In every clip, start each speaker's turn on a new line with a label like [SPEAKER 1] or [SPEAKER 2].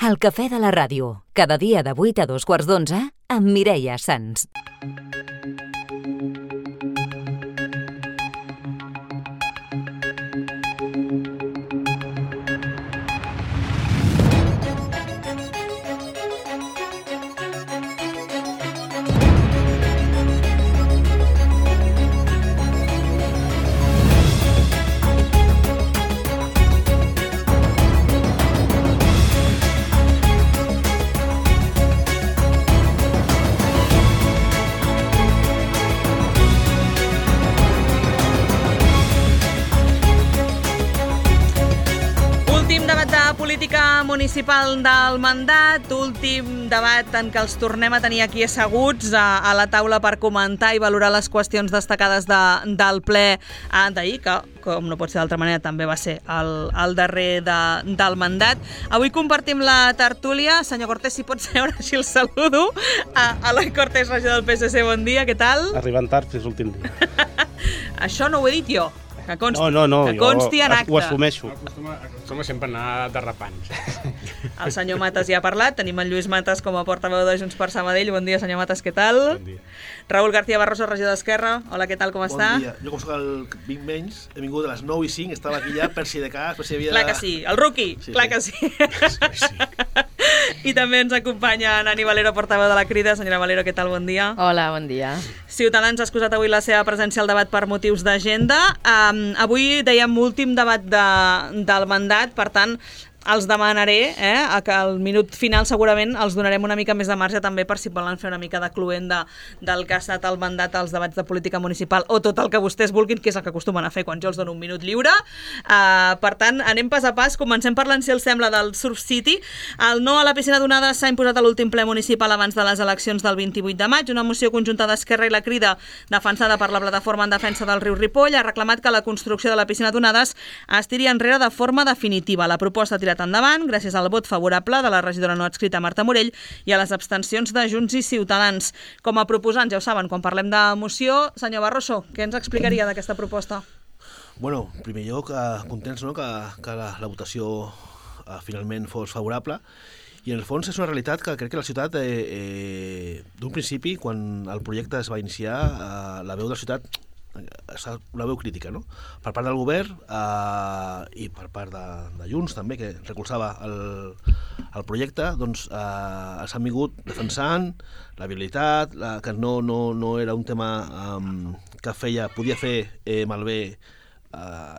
[SPEAKER 1] El cafè de la ràdio, cada dia de 8 a 2:15 amb Mireia Sans.
[SPEAKER 2] Política municipal del mandat, últim debat en què els tornem a tenir aquí asseguts a la taula per comentar i valorar les qüestions destacades del ple d'ahir, que, com no pot ser d'altra manera, també va ser el darrer del mandat. Avui compartim la tertúlia. Senyor Cortés, si pot seure, així el saludo. Eloi Cortés, regidor del PSC, bon dia, què tal?
[SPEAKER 3] Arribant tard, és l'últim dia.
[SPEAKER 2] Això no ho he dit jo. Que consti,
[SPEAKER 3] no,
[SPEAKER 2] que consti en acte.
[SPEAKER 3] Ho assumeixo.
[SPEAKER 4] Acostuma sempre a anar derrapant.
[SPEAKER 2] El senyor Matas ja ha parlat. Tenim en Lluís Matas com a portaveu de Junts per Sabadell. Bon dia, senyor Matas, què tal?
[SPEAKER 4] Bon dia.
[SPEAKER 2] Raül García Barroso, regidor d'Esquerra. Hola, què tal, com està?
[SPEAKER 5] Bon dia. Jo, com soc el vinc menys, he vingut a les 9:05, estava aquí ja per si de cas, per si havia...
[SPEAKER 2] Clar que sí, el rookie, sí, clar que sí. I també ens acompanya Nani Valero, portaveu de la Crida. Senyora Valero, què tal, bon dia?
[SPEAKER 6] Hola, bon dia.
[SPEAKER 2] Ciutadans ha excusat avui la seva presència al debat per motius d'agenda. Avui dèiem últim debat del mandat, per tant, els demanaré que al minut final segurament els donarem una mica més de marge també per si volen fer una mica de cluent del que ha estat el mandat als debats de política municipal o tot el que vostès vulguin, que és el que acostumen a fer quan jo els dono un minut lliure. Per tant, anem pas a pas. Comencem parlant, si els sembla, del Surf City. El no a la piscina d'onades s'ha imposat a l'últim ple municipal abans de les eleccions del 28 de maig. Una moció conjunta d'Esquerra i la Crida, defensada per la plataforma en defensa del riu Ripoll, ha reclamat que la construcció de la piscina d'onades es tiri enrere de forma definitiva. La proposta ha tirat endavant gràcies al vot favorable de la regidora no adscrita Marta Morell i a les abstencions de Junts i Ciutadans. Com a proposants, ja ho saben, quan parlem de moció, senyor Barroso, què ens explicaria d'aquesta proposta?
[SPEAKER 5] Bueno, en primer lloc, contents que la votació finalment fos favorable, i en el fons és una realitat que crec que la ciutat, d'un principi, quan el projecte es va iniciar, la veu de la ciutat una veu crítica, no? Per part del govern i per part de Junts també, que recolzava el projecte, doncs s'han vingut defensant la viabilitat, que no era un tema que podia fer malbé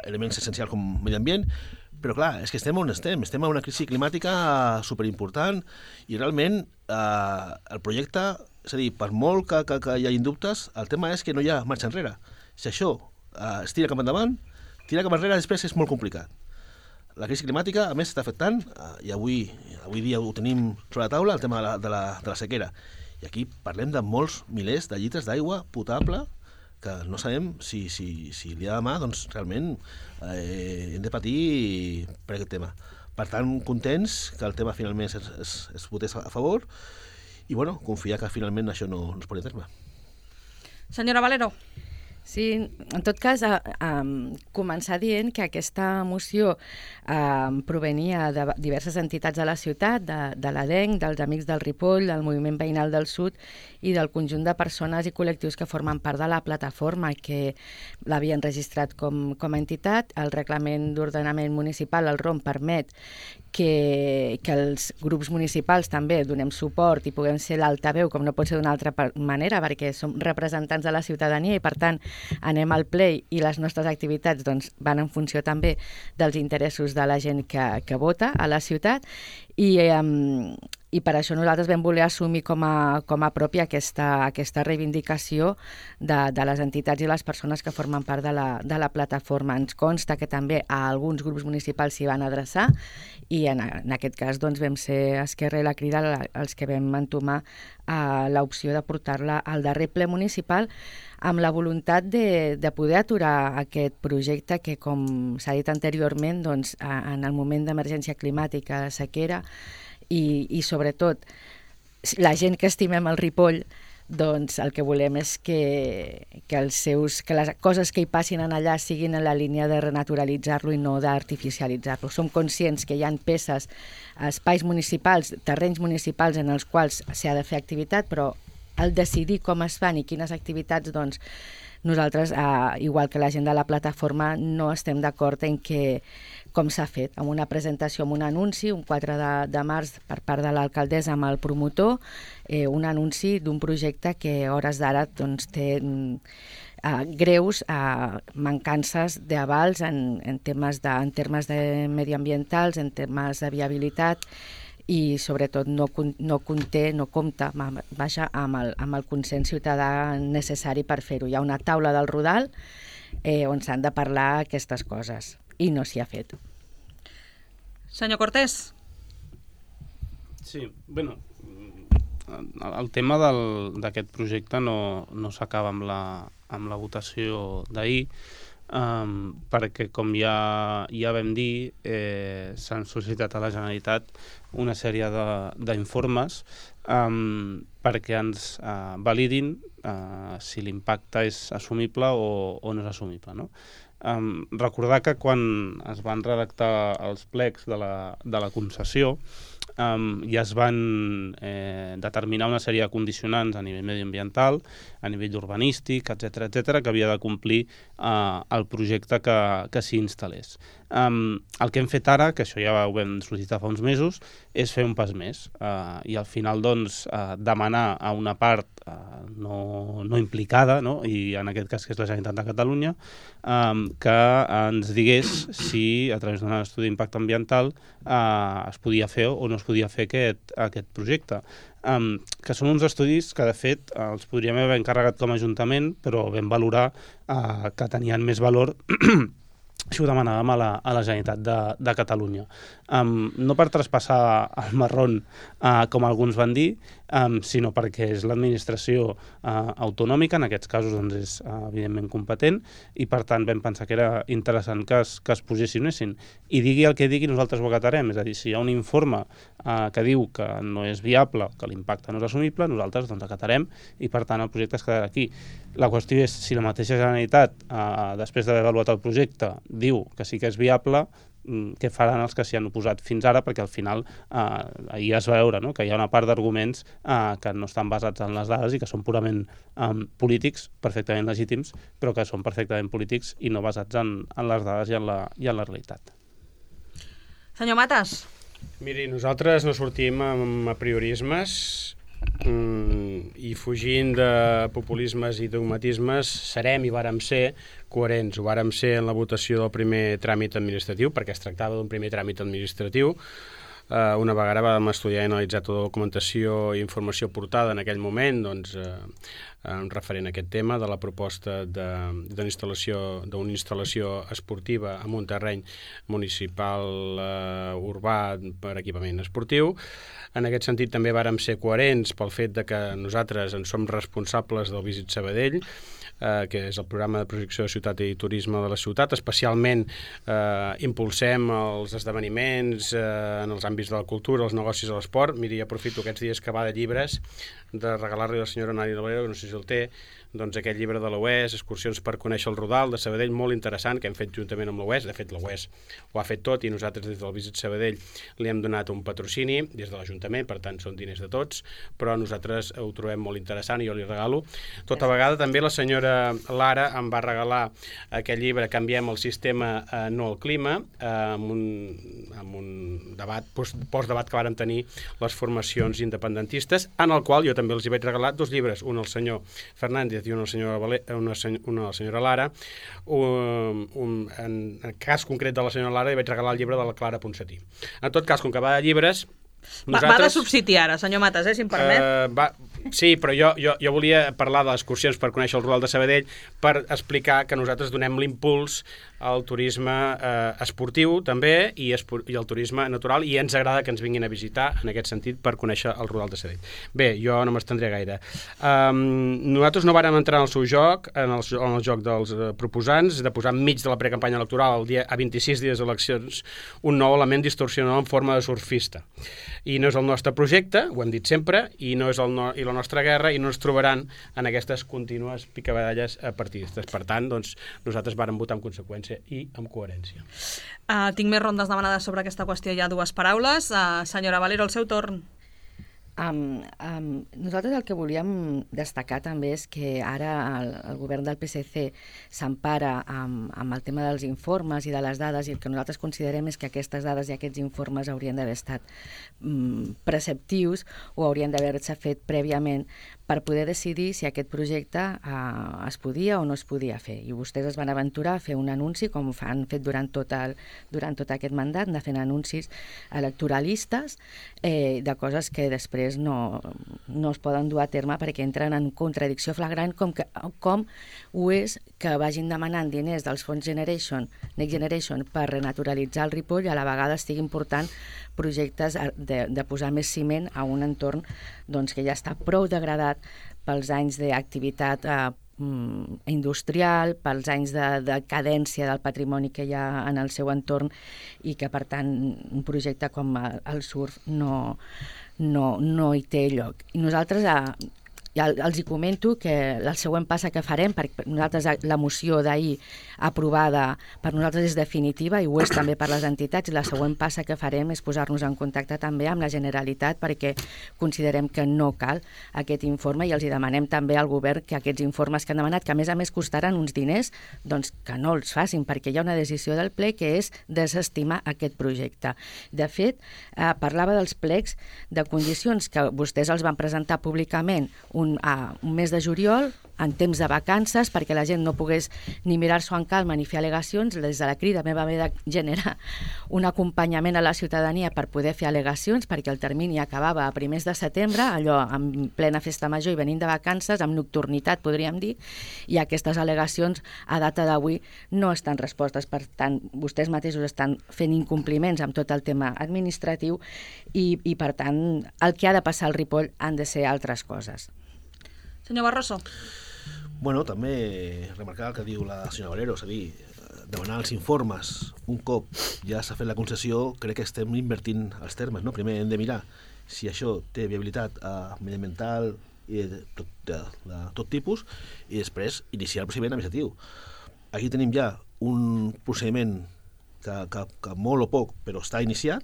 [SPEAKER 5] elements essencials com medi ambient, però clar, és que estem on estem en una crisi climàtica superimportant i realment el projecte, és a dir, per molt que hi hagi dubtes, el tema és que no hi ha marxa enrere. Si això es tira cap endavant, tirar cap enrere després és molt complicat. La crisi climàtica, a més, està afectant, i avui dia ho tenim sobre la taula, el tema de la sequera. I aquí parlem de molts milers de litres d'aigua potable que no sabem si el dia de demà doncs, realment hem de patir per aquest tema. Per tant, contents que el tema finalment es votés a favor i bueno, confiar que finalment això no es porti a terme.
[SPEAKER 2] Senyora Valero.
[SPEAKER 6] Sí, en tot cas, començar dient que aquesta moció provenia de diverses entitats de la ciutat, de l'ADENC, dels Amics del Ripoll, del Moviment Veïnal del Sud i del conjunt de persones i col·lectius que formen part de la plataforma i que l'havien registrat com a entitat. El Reglament d'Ordenament Municipal, el ROM, permet que els grups municipals també donem suport i puguem ser l'altaveu, com no pot ser d'una altra manera, perquè som representants de la ciutadania i, per tant, anem al ple i les nostres activitats doncs, van en funció també dels interessos de la gent que vota a la ciutat i per això nosaltres vam voler assumir com a pròpia aquesta reivindicació de les entitats i les persones que formen part de la plataforma. Ens consta que també a alguns grups municipals s'hi van adreçar i en aquest cas doncs, vam ser Esquerra i la Crida els que vam entomar l'opció de portar-la al darrer ple municipal amb la voluntat de poder aturar aquest projecte que, com s'ha dit anteriorment, doncs, en el moment d'emergència climàtica, de sequera i sobretot la gent que estimem el Ripoll doncs el que volem és que les coses que hi passin en allà siguin en la línia de renaturalitzar-lo i no d'artificialitzar-lo. Som conscients que hi ha peces, espais municipals, terrenys municipals en els quals s'ha de fer activitat, però al decidir com es fan i quines activitats, doncs nosaltres, igual que la gent de la plataforma, no estem d'acord en que, com s'ha fet, amb una presentació, amb un anunci, un 4 de març per part de l'alcaldessa amb el promotor, un anunci d'un projecte que a hores d'ara doncs, té greus mancances d'avals en termes mediambientals, en termes de viabilitat, i sobretot no compta amb el consens ciutadà necessari per fer-ho. Hi ha una taula del Rodal on s'han de parlar aquestes coses i no s'hi ha fet.
[SPEAKER 2] Senyor Cortés.
[SPEAKER 3] Sí, bueno, el tema d'aquest projecte no s'acaba amb la votació d'ahir, perquè, com ja vam dir, s'han sol·licitat a la Generalitat una sèrie d'informes perquè ens validin si l'impacte és assumible o no és assumible, no? Recordar que quan es van redactar els plecs de la concessió ja es van determinar una sèrie de condicionants a nivell mediambiental, a nivell urbanístic, etc que havia de complir el projecte que s'hi instal·lés. El que hem fet ara, que això ja ho vam sol·licitar fa uns mesos, és fer un pas més i al final doncs demanar a una part no implicada, no? I en aquest cas que és la Generalitat de Catalunya, que ens digués si a través d'un estudi d'impacte ambiental es podia fer o no es podia fer aquest projecte. Que són uns estudis que de fet els podríem haver encarregat com a Ajuntament, però vam valorar que tenien més valor si ho demanàvem a la Generalitat de Catalunya. No per traspassar el marrón, com alguns van dir, sinó perquè és l'administració autonòmica, en aquests casos doncs, és evidentment competent, i per tant vam pensar que era interessant que es posicionessin. I digui el que digui, nosaltres ho acatarem. És a dir, si hi ha un informe que diu que no és viable, que l'impacte no és assumible, nosaltres doncs acatarem i per tant el projecte es quedarà aquí. La qüestió és si la mateixa Generalitat, després d'haver avaluat el projecte, diu que sí que és viable, què faran els que s'hi han oposat fins ara, perquè al final ahir es va veure, no?, que hi ha una part d'arguments que no estan basats en les dades i que són purament polítics, perfectament legítims, però que són perfectament polítics i no basats en les dades i en la realitat.
[SPEAKER 2] Senyor Matas.
[SPEAKER 4] Miri, nosaltres no sortim amb apriorismes i fugint de populismes i dogmatismes serem i vàrem ser coherents. Ho vàrem ser en la votació del primer tràmit administratiu, perquè es tractava d'un primer tràmit administratiu. Una vegada vam estudiar i analitzar tota la documentació i informació portada en aquell moment, doncs, referent a aquest tema de la proposta d'una instal·lació esportiva en un terreny municipal urbà per equipament esportiu. En aquest sentit també vàrem ser coherents pel fet de que nosaltres en som responsables del Visit Sabadell, que és el programa de projecció de ciutat i turisme de la ciutat. Especialment impulsem els esdeveniments en els àmbits de la cultura, els negocis i l'esport. Miri, aprofito aquests dies que va de llibres de regalar-li a la senyora Nari Valero, que no sé si el té, doncs aquest llibre de l'OES, Excursions per conèixer el Rodal de Sabadell, molt interessant, que hem fet juntament amb l'OES. De fet, l'OES ho ha fet tot i nosaltres des del Visit Sabadell li hem donat un patrocini des de l'Ajuntament, per tant són diners de tots, però nosaltres ho trobem molt interessant i jo li regalo. Tota vegada també la senyora Lara em va regalar aquest llibre Canviem el sistema, no el clima, amb un debat, postdebat que vàrem tenir les formacions independentistes, en el qual jo també els hi vaig regalar dos llibres, un al senyor Fernández i una la senyora Lara. En el cas concret de la senyora Lara li vaig regalar el llibre de la Clara Ponsatí. En tot cas, com que va de llibres,
[SPEAKER 2] Va de subsidi ara, senyor Matas, si em permet.
[SPEAKER 4] Sí, però jo volia parlar de les excursions per conèixer el Rodal de Sabadell per explicar que nosaltres donem l'impuls al turisme esportiu també i al turisme natural, i ens agrada que ens vinguin a visitar en aquest sentit per conèixer el Rodal de Sabadell. Bé, jo no m'estendré gaire. Nosaltres no vàrem entrar en el seu joc, en el joc dels proposants, de posar enmig de la precampanya electoral a 26 dies d'eleccions un nou element distorsionador en forma de surfista. I no és el nostre projecte, ho hem dit sempre, i no és la nostra guerra, i no ens trobaran en aquestes contínues picabaralles partidistes. Per tant, doncs, nosaltres vàrem votar en conseqüència i amb coherència.
[SPEAKER 2] Tinc més rondes demanades sobre aquesta qüestió, hi ha 2 paraules. Senyora Valero, el seu torn.
[SPEAKER 6] Nosaltres el que volíem destacar també és que ara el govern del PSC s'empara amb el tema dels informes i de les dades, i el que nosaltres considerem és que aquestes dades i aquests informes haurien d'haver estat preceptius o haurien d'haver-se fet prèviament per poder decidir si aquest projecte es podia o no es podia fer. I vostès es van aventurar a fer un anunci, com han fet durant tot aquest mandat, de fer anuncis electoralistes de coses que després no es poden dur a terme perquè entren en contradicció flagrant, com ho és que vagin demanant diners dels fons Next Generation per renaturalitzar el Ripoll i a la vegada estiguin portant projectes de posar més ciment a un entorn que ja està prou degradat pels anys d'activitat industrial, pels anys de decadència del patrimoni que hi ha en el seu entorn, i que per tant un projecte com el surf no hi té lloc. I nosaltres ja els hi comento que el següent pas que farem, perquè nosaltres la moció d'ahir aprovada per nosaltres és definitiva i ho és també per les entitats, i la següent pas que farem és posar-nos en contacte també amb la Generalitat perquè considerem que no cal aquest informe, i els hi demanem també al govern que aquests informes que han demanat, que a més costaran uns diners, doncs que no els facin, perquè hi ha una decisió del ple que és desestimar aquest projecte. De fet, parlava dels plecs de condicions que vostès els van presentar públicament un mes de juliol, en temps de vacances, perquè la gent no pogués ni mirar-s'ho en calma ni fer al·legacions. Des de la Crida vam haver de generar un acompanyament a la ciutadania per poder fer al·legacions, perquè el termini acabava a primers de setembre, allò en plena festa major i venint de vacances, amb nocturnitat, podríem dir, i aquestes al·legacions a data d'avui no estan respostes. Per tant, vostès mateixos estan fent incompliments amb tot el tema administratiu i per tant, el que ha de passar al Ripoll han de ser altres coses.
[SPEAKER 2] Senyor Barroso.
[SPEAKER 5] Bueno, també remarcar el que diu la senyora Valero, és a dir, demanar els informes un cop ja s'ha fet la concessió, crec que estem invertint els termes, no? Primer hem de mirar si això té viabilitat mediambiental i de tot tipus, i després iniciar el procediment administratiu. Aquí tenim ja un procediment que molt o poc, però està iniciat.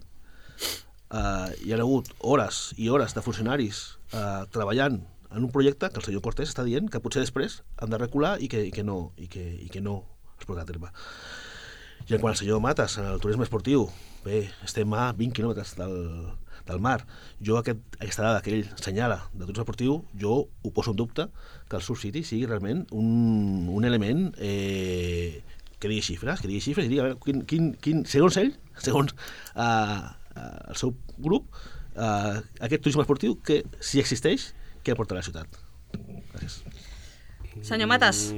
[SPEAKER 5] Hi ha hagut hores i hores de funcionaris treballant en un projecte que el senyor Cortés està dient que potser després han de recular i que no es portarà a terme. I en quant al senyor Matas, en el turisme esportiu, bé, estem a 20 quilòmetres del mar. Jo aquesta dada que ell senyala de turisme esportiu, jo ho poso en dubte que el Surf City sigui realment un element que digui xifres i digui a veure, segons ell, segons el seu grup, aquest turisme esportiu, que si existeix, què aporta a la ciutat? Gràcies.
[SPEAKER 2] Senyor Matas.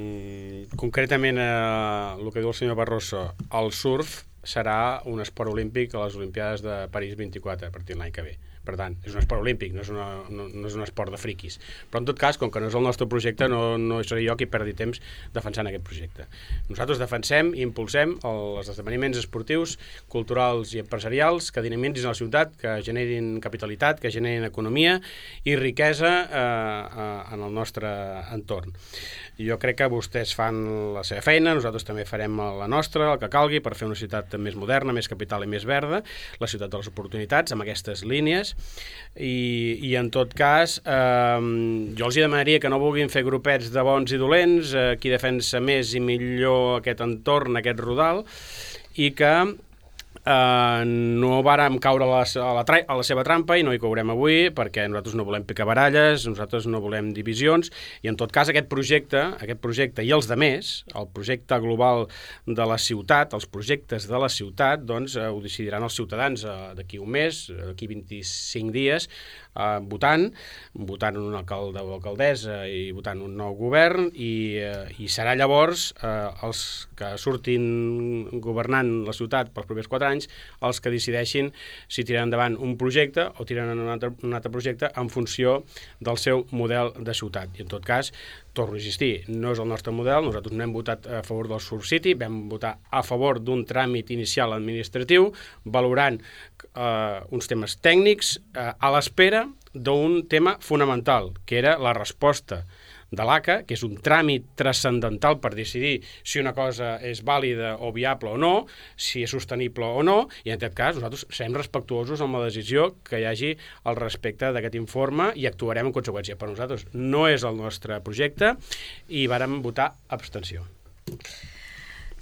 [SPEAKER 4] Concretament, el que diu el senyor Barroso, el surf serà un esport olímpic a les Olimpiades de París 24 a partir de l'any que ve. Per tant, és un esport olímpic, no és un esport de friquis. Però en tot cas, com que no és el nostre projecte, no seré jo qui perdi temps defensant aquest projecte. Nosaltres defensem i impulsem els esdeveniments esportius, culturals i empresarials que dinamitzin la ciutat, que generin capitalitat, que generin economia i riquesa en el nostre entorn. Jo crec que vostès fan la seva feina, nosaltres també farem la nostra, el que calgui, per fer una ciutat més moderna, més capital i més verda, la ciutat de les oportunitats, amb aquestes línies. I en tot cas, jo els demanaria que no vulguin fer grupets de bons i dolents, qui defensa més i millor aquest entorn, aquest rodal, i que no vàrem caure a la seva trampa, i no hi caurem avui, perquè nosaltres no volem picabaralles, nosaltres no volem divisions, i en tot cas aquest projecte i els demés, el projecte global de la ciutat, els projectes de la ciutat, doncs ho decidiran els ciutadans d'aquí un mes, d'aquí 25 dies, votant un alcalde o alcaldessa i votant un nou govern, i serà llavors els que surtin governant la ciutat pels propers 4 anys anys els que decideixin si tiren endavant un projecte o tiren un altre projecte en funció del seu model de ciutat. I en tot cas, torno a insistir, no és el nostre model, nosaltres no hem votat a favor del Surf City, vam votar a favor d'un tràmit inicial administratiu, valorant uns temes tècnics a l'espera d'un tema fonamental, que era la resposta de l'ACA, que és un tràmit transcendental per decidir si una cosa és vàlida o viable o no, si és sostenible o no, i en aquest cas nosaltres serem respectuosos amb la decisió que hi hagi al respecte d'aquest informe i actuarem en conseqüència. Per nosaltres no és el nostre projecte i vàrem votar abstenció.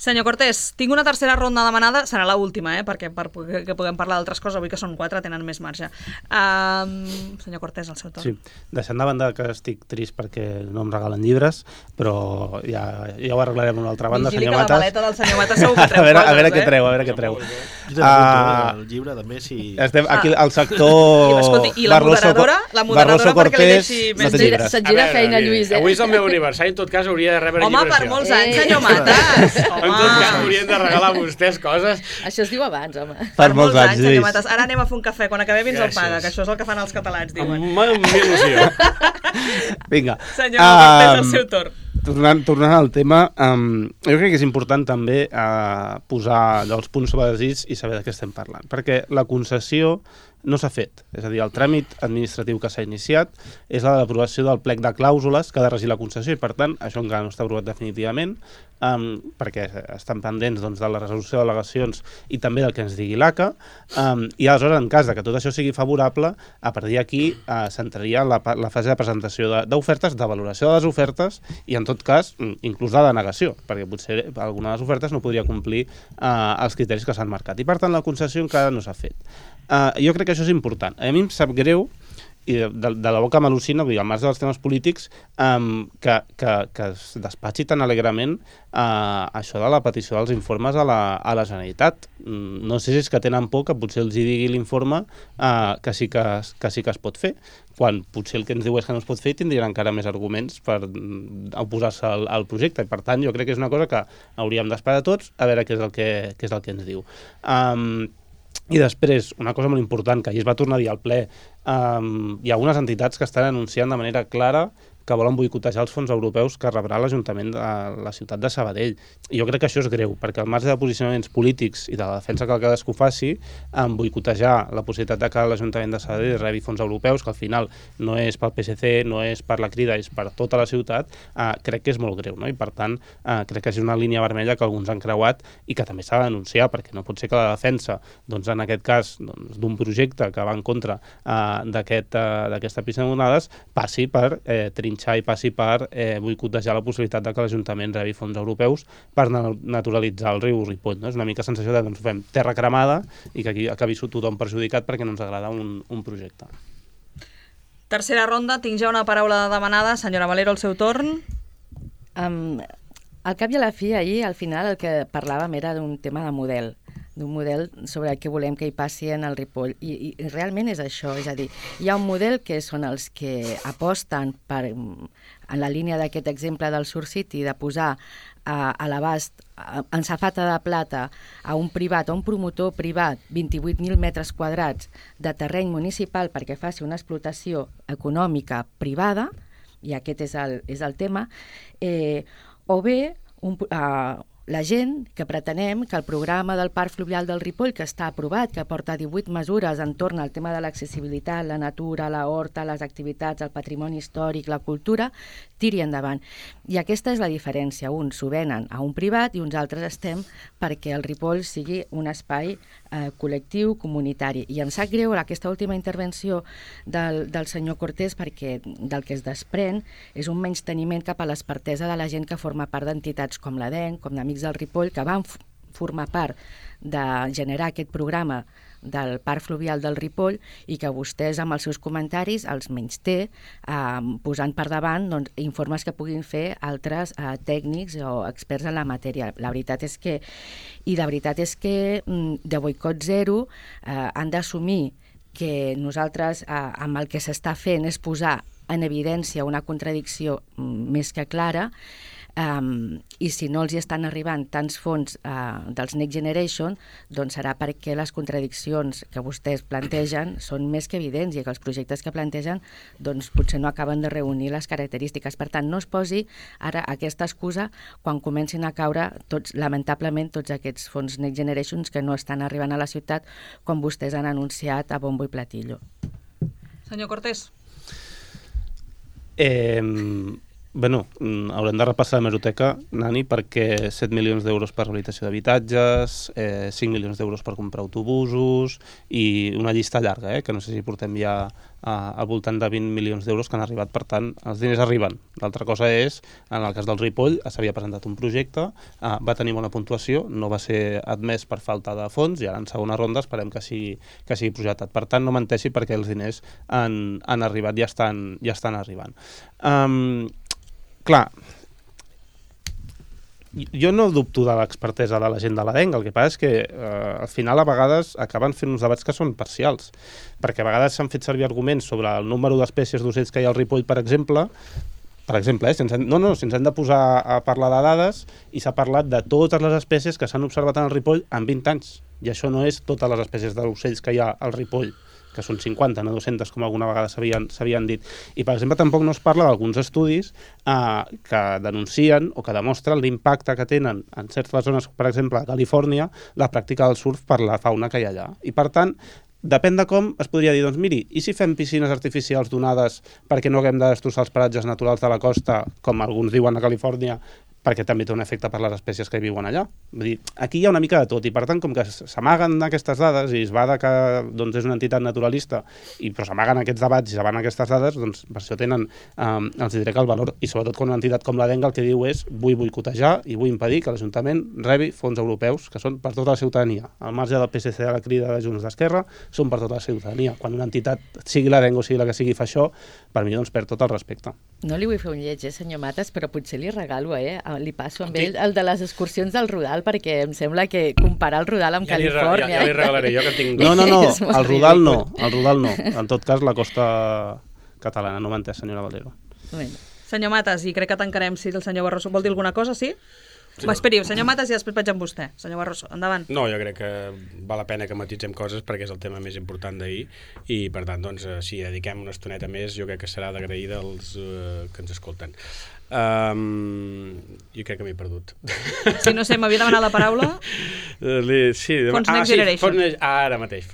[SPEAKER 2] Senyor Cortés, tinc una tercera ronda demanada, serà l'última, perquè puguem parlar d'altres coses, avui que són 4, tenen més marge. Senyor Cortés, el seu torn.
[SPEAKER 3] Sí, deixant de banda que estic trist perquè no em regalen llibres, però ja ho arreglarem una altra banda,
[SPEAKER 2] Vigili
[SPEAKER 3] senyor
[SPEAKER 2] que
[SPEAKER 3] Matas.
[SPEAKER 2] la maleta del senyor Matas segur que treu coses,
[SPEAKER 3] a veure què treu, a veure què treu.
[SPEAKER 5] Jo també apunto el llibre, també, si...
[SPEAKER 3] Estem aquí al sector...
[SPEAKER 2] Escolti, i la moderadora perquè li deixi més
[SPEAKER 3] llibres.
[SPEAKER 6] Se't gira feina, Lluís.
[SPEAKER 4] Avui és el meu aniversari, en tot cas hauria de rebre
[SPEAKER 2] Home,
[SPEAKER 4] llibres.
[SPEAKER 2] per molts anys, senyor Matas.
[SPEAKER 4] En tot cas, haurien de regalar a vostès coses.
[SPEAKER 6] Això es diu abans, home.
[SPEAKER 3] Per molts anys,
[SPEAKER 2] senyor
[SPEAKER 3] Lluís.
[SPEAKER 2] Matas. Ara anem a fer un cafè, quan acabem ens el
[SPEAKER 4] Gràcies.
[SPEAKER 2] paga, que això és el que fan els catalans, diuen.
[SPEAKER 4] Amb il·lusió.
[SPEAKER 3] Vinga.
[SPEAKER 2] Senyor Cortés, el seu torn.
[SPEAKER 3] Tornant al tema, jo crec que és important també posar els punts sobre les is i saber de què estem parlant, perquè la concessió no s'ha fet, és a dir, el tràmit administratiu que s'ha iniciat és la de l'aprovació del plec de clàusules que ha de regir la concessió i, per tant, això encara no està aprovat definitivament, perquè estan pendents doncs, de la resolució d'al·legacions i també del que ens digui l'ACA, i aleshores, en cas de que tot això sigui favorable, a partir d'aquí s'entraria la fase de presentació d'ofertes, de valoració de les ofertes i, en tot cas, inclús de denegació, perquè potser alguna de les ofertes no podria complir els criteris que s'han marcat. I, per tant, la concessió encara no s'ha fet. Jo crec que això és important. A mi em sap greu, i de la boca m'al·lucina, vull dir, al marge dels temes polítics, que es despatxi tan alegrement això de la petició dels informes a la Generalitat. No sé si és que tenen por que potser els hi digui l'informe que sí que es pot fer, quan potser el que ens diu és que no es pot fer i tindrien encara més arguments per oposar-se al projecte. I, per tant, jo crec que és una cosa que hauríem d'esperar tots a veure què és el que ens diu. I després, una cosa molt important, que ahir es va tornar a dir al ple, hi ha algunes entitats que estan anunciant de manera clara que volen boicotejar els fons europeus que rebrà l'Ajuntament de la ciutat de Sabadell. I jo crec que això és greu, perquè al marge de posicionaments polítics i de la defensa que cadascú faci, boicotejar la possibilitat de que l'Ajuntament de Sabadell rebi fons europeus, que al final no és pel PSC, no és per la Crida, és per tota la ciutat, crec que és molt greu, no? I per tant, crec que és una línia vermella que alguns han creuat i que també s'ha de denunciar, perquè no pot ser que la defensa, doncs, en aquest cas, d'un projecte que va en contra d'aquesta pista de monades, passi per trinxar i passi per boicotejar la possibilitat de que l'Ajuntament rebi fons europeus per naturalitzar el riu Ripoll. No? És una mica sensació de que ens fem terra cremada i que aquí acabi tothom perjudicat perquè no ens agrada un projecte.
[SPEAKER 2] Tercera ronda, tinc ja una paraula demanada. Senyora Valero, el seu torn.
[SPEAKER 6] Al cap i a la fi, ahir, al final, el que parlàvem era d'un tema de model, d'un model sobre el que volem que hi passi en el Ripoll. I realment és això, és a dir, hi ha un model que són els que aposten per, en la línia d'aquest exemple del Surf City, de posar a l'abast, en safata de plata, a un privat, a un promotor privat, 28.000 metres quadrats de terreny municipal perquè faci una explotació econòmica privada, i aquest és el tema, o bé la gent que pretenem que el programa del Parc Fluvial del Ripoll, que està aprovat, que porta 18 mesures entorn al tema de l'accessibilitat, la natura, la horta, les activitats, el patrimoni històric, la cultura, tiri endavant. I aquesta és la diferència. Uns s'ho venen a un privat i uns altres estem perquè el Ripoll sigui un espai col·lectiu, comunitari. I em sap greu aquesta última intervenció del senyor Cortés perquè del que es desprèn és un menysteniment cap a l'expertesa de la gent que forma part d'entitats com l'ADEN, com d'Amics del Ripoll, que van formar part de generar aquest programa del Parc Fluvial del Ripoll i que vostès amb els seus comentaris els menysté posant per davant informes que puguin fer altres tècnics o experts en la matèria. La veritat és que, de boicot zero han d'assumir que nosaltres amb el que s'està fent és posar en evidència una contradicció més que clara, I si no els hi estan arribant tants fons dels Next Generation, doncs serà perquè les contradiccions que vostès plantegen són més que evidents i que els projectes que plantegen doncs, potser no acaben de reunir les característiques. Per tant, no es posi ara aquesta excusa quan comencin a caure lamentablement tots aquests fons Next Generations que no estan arribant a la ciutat com vostès han anunciat a bombo i platillo.
[SPEAKER 2] Senyor Cortés.
[SPEAKER 3] Bueno, haurem de repassar l'hemeroteca, Nani, perquè 7 milions d'euros per rehabilitació d'habitatges, 5 milions d'euros per comprar autobusos i una llista llarga, que no sé si portem ja al voltant de 20 milions d'euros que han arribat. Per tant, els diners arriben. L'altra cosa és, en el cas del Ripoll, s'havia presentat un projecte, va tenir bona puntuació, no va ser admès per falta de fons i ara en segona ronda esperem que sigui projectat. Per tant, no menteixi perquè els diners han arribat i ja estan arribant. Clar, jo no dubto de l'expertesa de la gent de l'ADENC, el que passa és que al final a vegades acaben fent uns debats que són parcials, perquè a vegades s'han fet servir arguments sobre el número d'espècies d'ocells que hi ha al Ripoll, per exemple, si ens hem de posar a parlar de dades i s'ha parlat de totes les espècies que s'han observat en el Ripoll en 20 anys, i això no és totes les espècies d'ocells que hi ha al Ripoll, que són 50, no 200, com alguna vegada s'havien dit. I, per exemple, tampoc no es parla d'alguns estudis que denuncien o que demostren l'impacte que tenen en certes zones, per exemple, a Califòrnia, la pràctica del surf per la fauna que hi ha allà. I, per tant, depèn de com es podria dir, doncs miri, i si fem piscines artificials donades perquè no haguem de destrossar els paratges naturals de la costa, com alguns diuen a Califòrnia, perquè també té un efecte per les espècies que hi viuen allà. Vull dir, aquí hi ha una mica de tot, i per tant, com que s'amaguen aquestes dades i es va que doncs, és una entitat naturalista, però s'amaguen aquests debats i s'amaguen aquestes dades, doncs per això tenen, els diré que el valor, i sobretot quan una entitat com l'ADENC el que diu és vull boicotejar i vull impedir que l'Ajuntament rebi fons europeus, que són per tota la ciutadania. Al marge del PSC de la Crida de Junts d'Esquerra, són per tota la ciutadania. Quan una entitat, sigui l'ADENC o sigui la que sigui, fa això, per mi doncs perd tot el respecte.
[SPEAKER 6] No li vull fer un lleig, senyor Matas, però potser li regalo, li passo amb ell el de les excursions del Rodal, perquè em sembla que comparar el Rodal amb Califòrnia...
[SPEAKER 4] Ja li regalaré jo, que tinc...
[SPEAKER 3] No, el Rodal no. En tot cas, la costa catalana, no m'ha entès, senyora Valero.
[SPEAKER 6] Bueno.
[SPEAKER 2] Senyor Matas, i crec que tancarem si el senyor Barroso vol dir alguna cosa, sí? Sí. Esperi, senyor Matas, i després vaig amb vostè. Senyor Barroso, endavant.
[SPEAKER 4] No, jo crec que val la pena que matitzem coses perquè és el tema més important d'ahir i, per tant, doncs, si dediquem una estoneta més, jo crec que serà d'agrair dels que ens escolten. Jo crec que m'he perdut.
[SPEAKER 2] Si no sé, m'havia demanat la paraula. Fons Next Generation.
[SPEAKER 4] Ara mateix.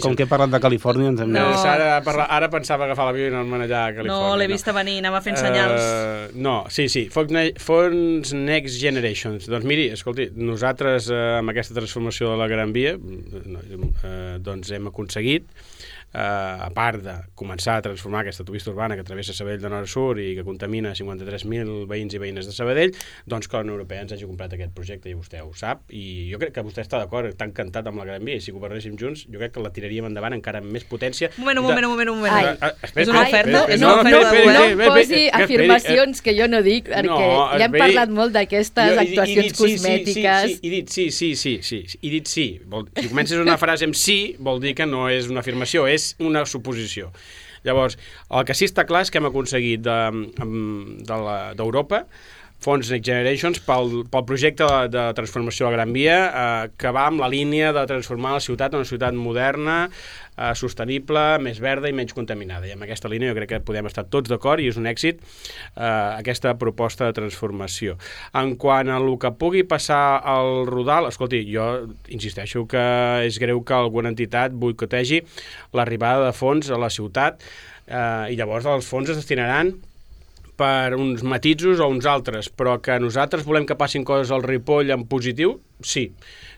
[SPEAKER 3] Com que he parlat de Califòrnia, ens hem...
[SPEAKER 4] Ara pensava agafar l'avió i anar-me'n allà a Califòrnia.
[SPEAKER 2] No, l'he vista venir, anava fent senyals.
[SPEAKER 4] No, sí, Fons Next Generations. Doncs miri, escolti, nosaltres amb aquesta transformació de la Gran Via doncs hem aconseguit, a part de començar a transformar aquesta autopista urbana que travessa Sabadell de nord a sud i que contamina 53.000 veïns i veïnes de Sabadell, doncs que la Unió Europea ens hagi comprat aquest projecte i vostè ho sap, i jo crec que vostè està d'acord, està encantat amb la Gran Via, i si governéssim junts jo crec que la tiraríem endavant encara amb més potència.
[SPEAKER 2] Un moment.
[SPEAKER 6] És una oferta? No posi afirmacions que jo no dic, perquè ja hem parlat molt d'aquestes actuacions cosmètiques.
[SPEAKER 4] I dit sí. Si comences una frase amb sí, vol dir que no és una afirmació, és una suposició. Llavors, el que sí està clar és que hem aconseguit d'Europa fons Next Generations pel projecte de transformació de la Gran Via, que va amb la línia de transformar la ciutat en una ciutat moderna, sostenible, més verda i menys contaminada. I amb aquesta línia jo crec que podem estar tots d'acord i és un èxit aquesta proposta de transformació. En quant a el que pugui passar al Rodal, escolti, jo insisteixo que és greu que alguna entitat boicotegi l'arribada de fons a la ciutat i llavors els fons es destinaran per uns matisos o uns altres, però que nosaltres volem que passin coses al Ripoll en positiu, sí.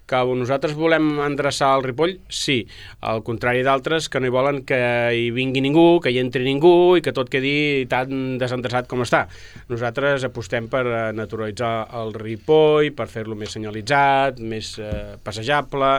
[SPEAKER 4] Que nosaltres volem endreçar el Ripoll, sí. Al contrari d'altres que no hi volen que hi vingui ningú, que hi entri ningú i que tot quedi tan desendreçat com està. Nosaltres apostem per naturalitzar el Ripoll, per fer-lo més senyalitzat, més passejable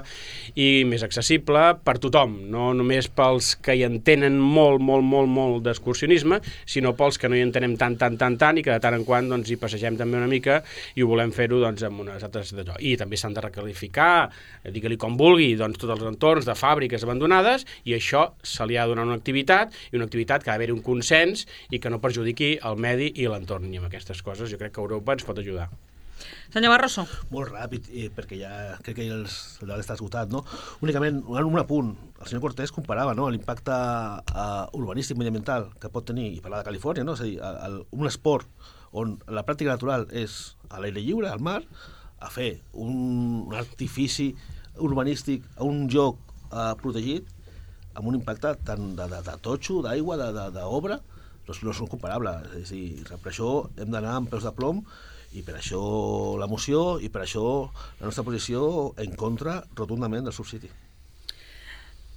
[SPEAKER 4] i més accessible per tothom, no només pels que hi entenen molt d'excursionisme, sinó pels que no hi entenem tant i que de tant en quant doncs, hi passegem també una mica i ho volem fer-ho doncs, amb unes altres d'allò. I també també s'han de recalificar, digue-li com vulgui, doncs tots els entorns de fàbriques abandonades, i això se li ha de donar una activitat, i una activitat que ha d'haver un consens i que no perjudiqui el medi i l'entorn. I amb aquestes coses jo crec que Europa ens pot ajudar.
[SPEAKER 2] Senyor Barroso.
[SPEAKER 5] Molt ràpid, perquè ja crec que el debat està esgotat, no? Únicament, un apunt. El senyor Cortés comparava, no?, l'impacte urbanístic mediambiental que pot tenir, i parlar de Califòrnia, no?, és a dir, un esport on la pràctica natural és a l'aire lliure, al mar, a fer un artifici urbanístic a un lloc protegit, amb un impacte tant de totxo, d'aigua, d'obra, no són comparables. És a dir, per això hem d'anar amb peus de plom, i per això la moció, i per això la nostra posició en contra rotundament del subsidi.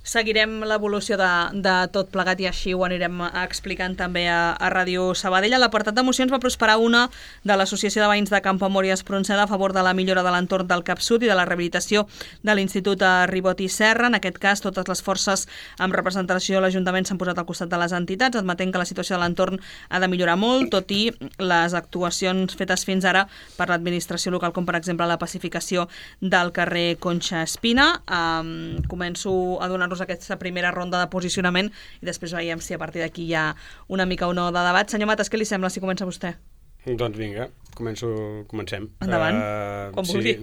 [SPEAKER 2] Seguirem l'evolució de tot plegat i així ho anirem explicant també a Ràdio Sabadell. A l'apartat de mocions va prosperar una de l'Associació de Veïns de Campoamor i Espronceda a favor de la millora de l'entorn del Cap Sud i de la rehabilitació de l'Institut Ribot i Serra. En aquest cas, totes les forces amb representació de l'Ajuntament s'han posat al costat de les entitats, admetent que la situació de l'entorn ha de millorar molt, tot i les actuacions fetes fins ara per l'administració local, com per exemple la pacificació del carrer Conxa Espina. Començo a donar-nos aquesta primera ronda de posicionament i després veiem si a partir d'aquí hi ha una mica o no de debat. Senyor Matas, què li sembla si comença vostè?
[SPEAKER 4] Doncs vinga, comencem.
[SPEAKER 2] Endavant, com vulgui.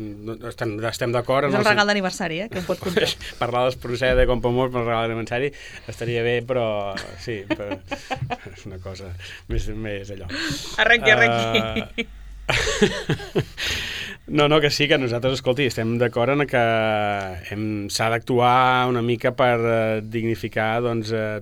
[SPEAKER 4] Estem d'acord.
[SPEAKER 2] És el regal d'aniversari, que em pot comptar.
[SPEAKER 4] Parlar d'Espronceda de Campoamor per el regal d'aniversari estaria bé, però sí, és una cosa més allò.
[SPEAKER 2] Arrenqui.
[SPEAKER 4] No, que sí, que nosaltres, escolti, estem d'acord en que s'ha d'actuar una mica per dignificar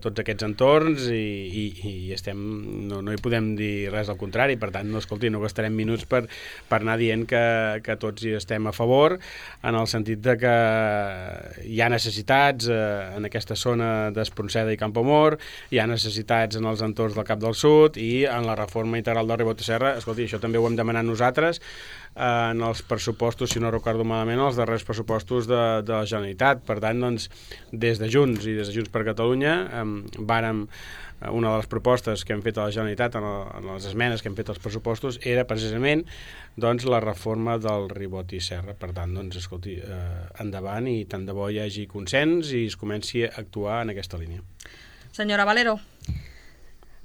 [SPEAKER 4] tots aquests entorns i no hi podem dir res al contrari. Per tant, escolti, no gastarem minuts per anar dient que tots hi estem a favor, en el sentit de que hi ha necessitats en aquesta zona d'Espronceda i Campoamor, hi ha necessitats en els entorns del Cap del Sud i en la reforma integral del Ribot i Serra. Escolti, això també ho hem demanat nosaltres en els pressupostos, si no recordo malament, els darrers pressupostos de la Generalitat. Per tant, doncs, des de Junts i des de Junts per Catalunya una de les propostes que hem fet a la Generalitat en les esmenes que hem fet als pressupostos era precisament la reforma del Ribot i Serra. Per tant, doncs, escolti, endavant, i tant de bo hi hagi consens i es comenci a actuar en aquesta línia.
[SPEAKER 2] Senyora Valero.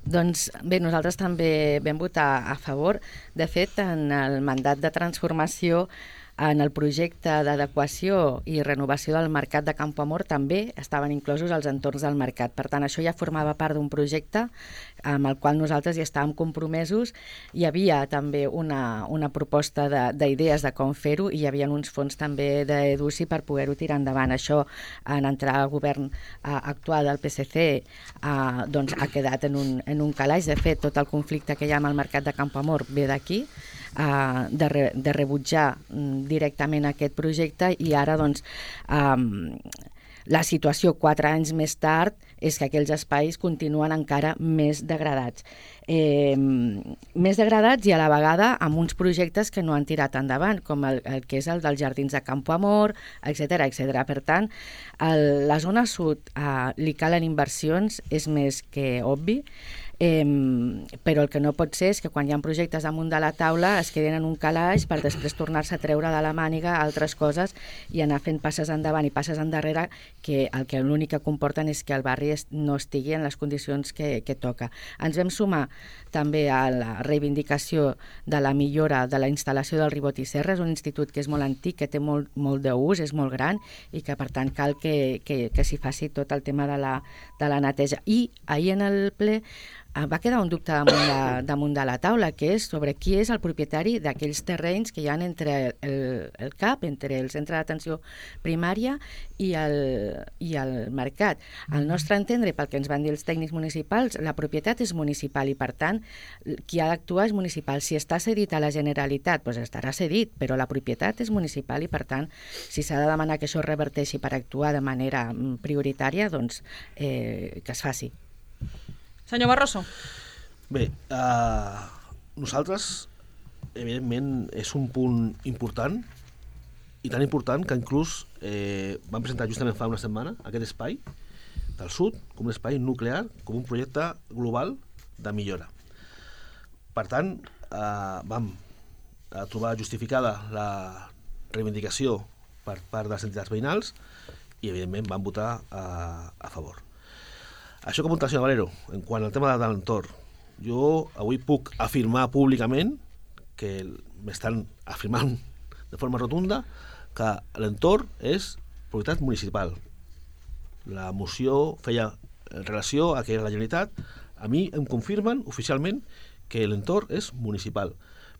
[SPEAKER 6] Doncs bé, nosaltres també vam votar a favor. De fet, en el mandat de transformació, en el projecte d'adequació i renovació del mercat de Campoamor també estaven inclosos els entorns del mercat. Per tant, això ja formava part d'un projecte amb el qual nosaltres hi estàvem compromesos. Hi havia també una proposta d'idees de com fer-ho i hi havia uns fons també d'EDUCI per poder-ho tirar endavant. Això, en entrar al govern actual del PSC, doncs ha quedat en un calaix. De fet, tot el conflicte que hi ha amb el mercat de Campoamor ve d'aquí, de rebutjar directament aquest projecte, i ara doncs la situació 4 anys més tard és que aquells espais continuen encara més degradats. Més degradats i a la vegada amb uns projectes que no han tirat endavant, com el que és el dels jardins de Campoamor, etc. Per tant, la zona sud li calen inversions, és més que obvi, però el que no pot ser és que quan hi ha projectes damunt de la taula es queden en un calaix per després tornar-se a treure de la màniga altres coses i anar fent passes endavant i passes endarrere, que l'únic que comporten és que el barri no estigui en les condicions que toca. Ens vam sumar també a la reivindicació de la millora de la instal·lació del Ribot i Serra. És un institut que és molt antic, que té molt d'ús, és molt gran i que per tant cal que s'hi faci tot el tema de la neteja. I ahir en el ple va quedar un dubte damunt de la taula, que és sobre qui és el propietari d'aquells terrenys que hi ha entre el CAP, entre el centre d'atenció primària i el mercat. Al nostre entendre, pel que ens van dir els tècnics municipals, la propietat és municipal i, per tant, qui ha d'actuar és municipal. Si està cedit a la Generalitat, doncs estarà cedit, però la propietat és municipal i, per tant, si s'ha de demanar que això es reverteixi per actuar de manera prioritària, doncs que es faci.
[SPEAKER 2] Senyor Barroso.
[SPEAKER 5] Bé, nosaltres, evidentment, és un punt important, i tan important que inclús vam presentar justament fa una setmana aquest espai del sud com un espai nuclear, com un projecte global de millora. Per tant, vam trobar justificada reivindicació per part de les entitats veïnals i, evidentment, van votar a favor. Això que apunta el senyor Valero, en quant al tema de l'entorn, jo avui puc afirmar públicament que m'estan afirmant de forma rotunda que l'entorn és propietat municipal. La moció feia relació a que la Generalitat, a mi em confirmen oficialment que l'entorn és municipal,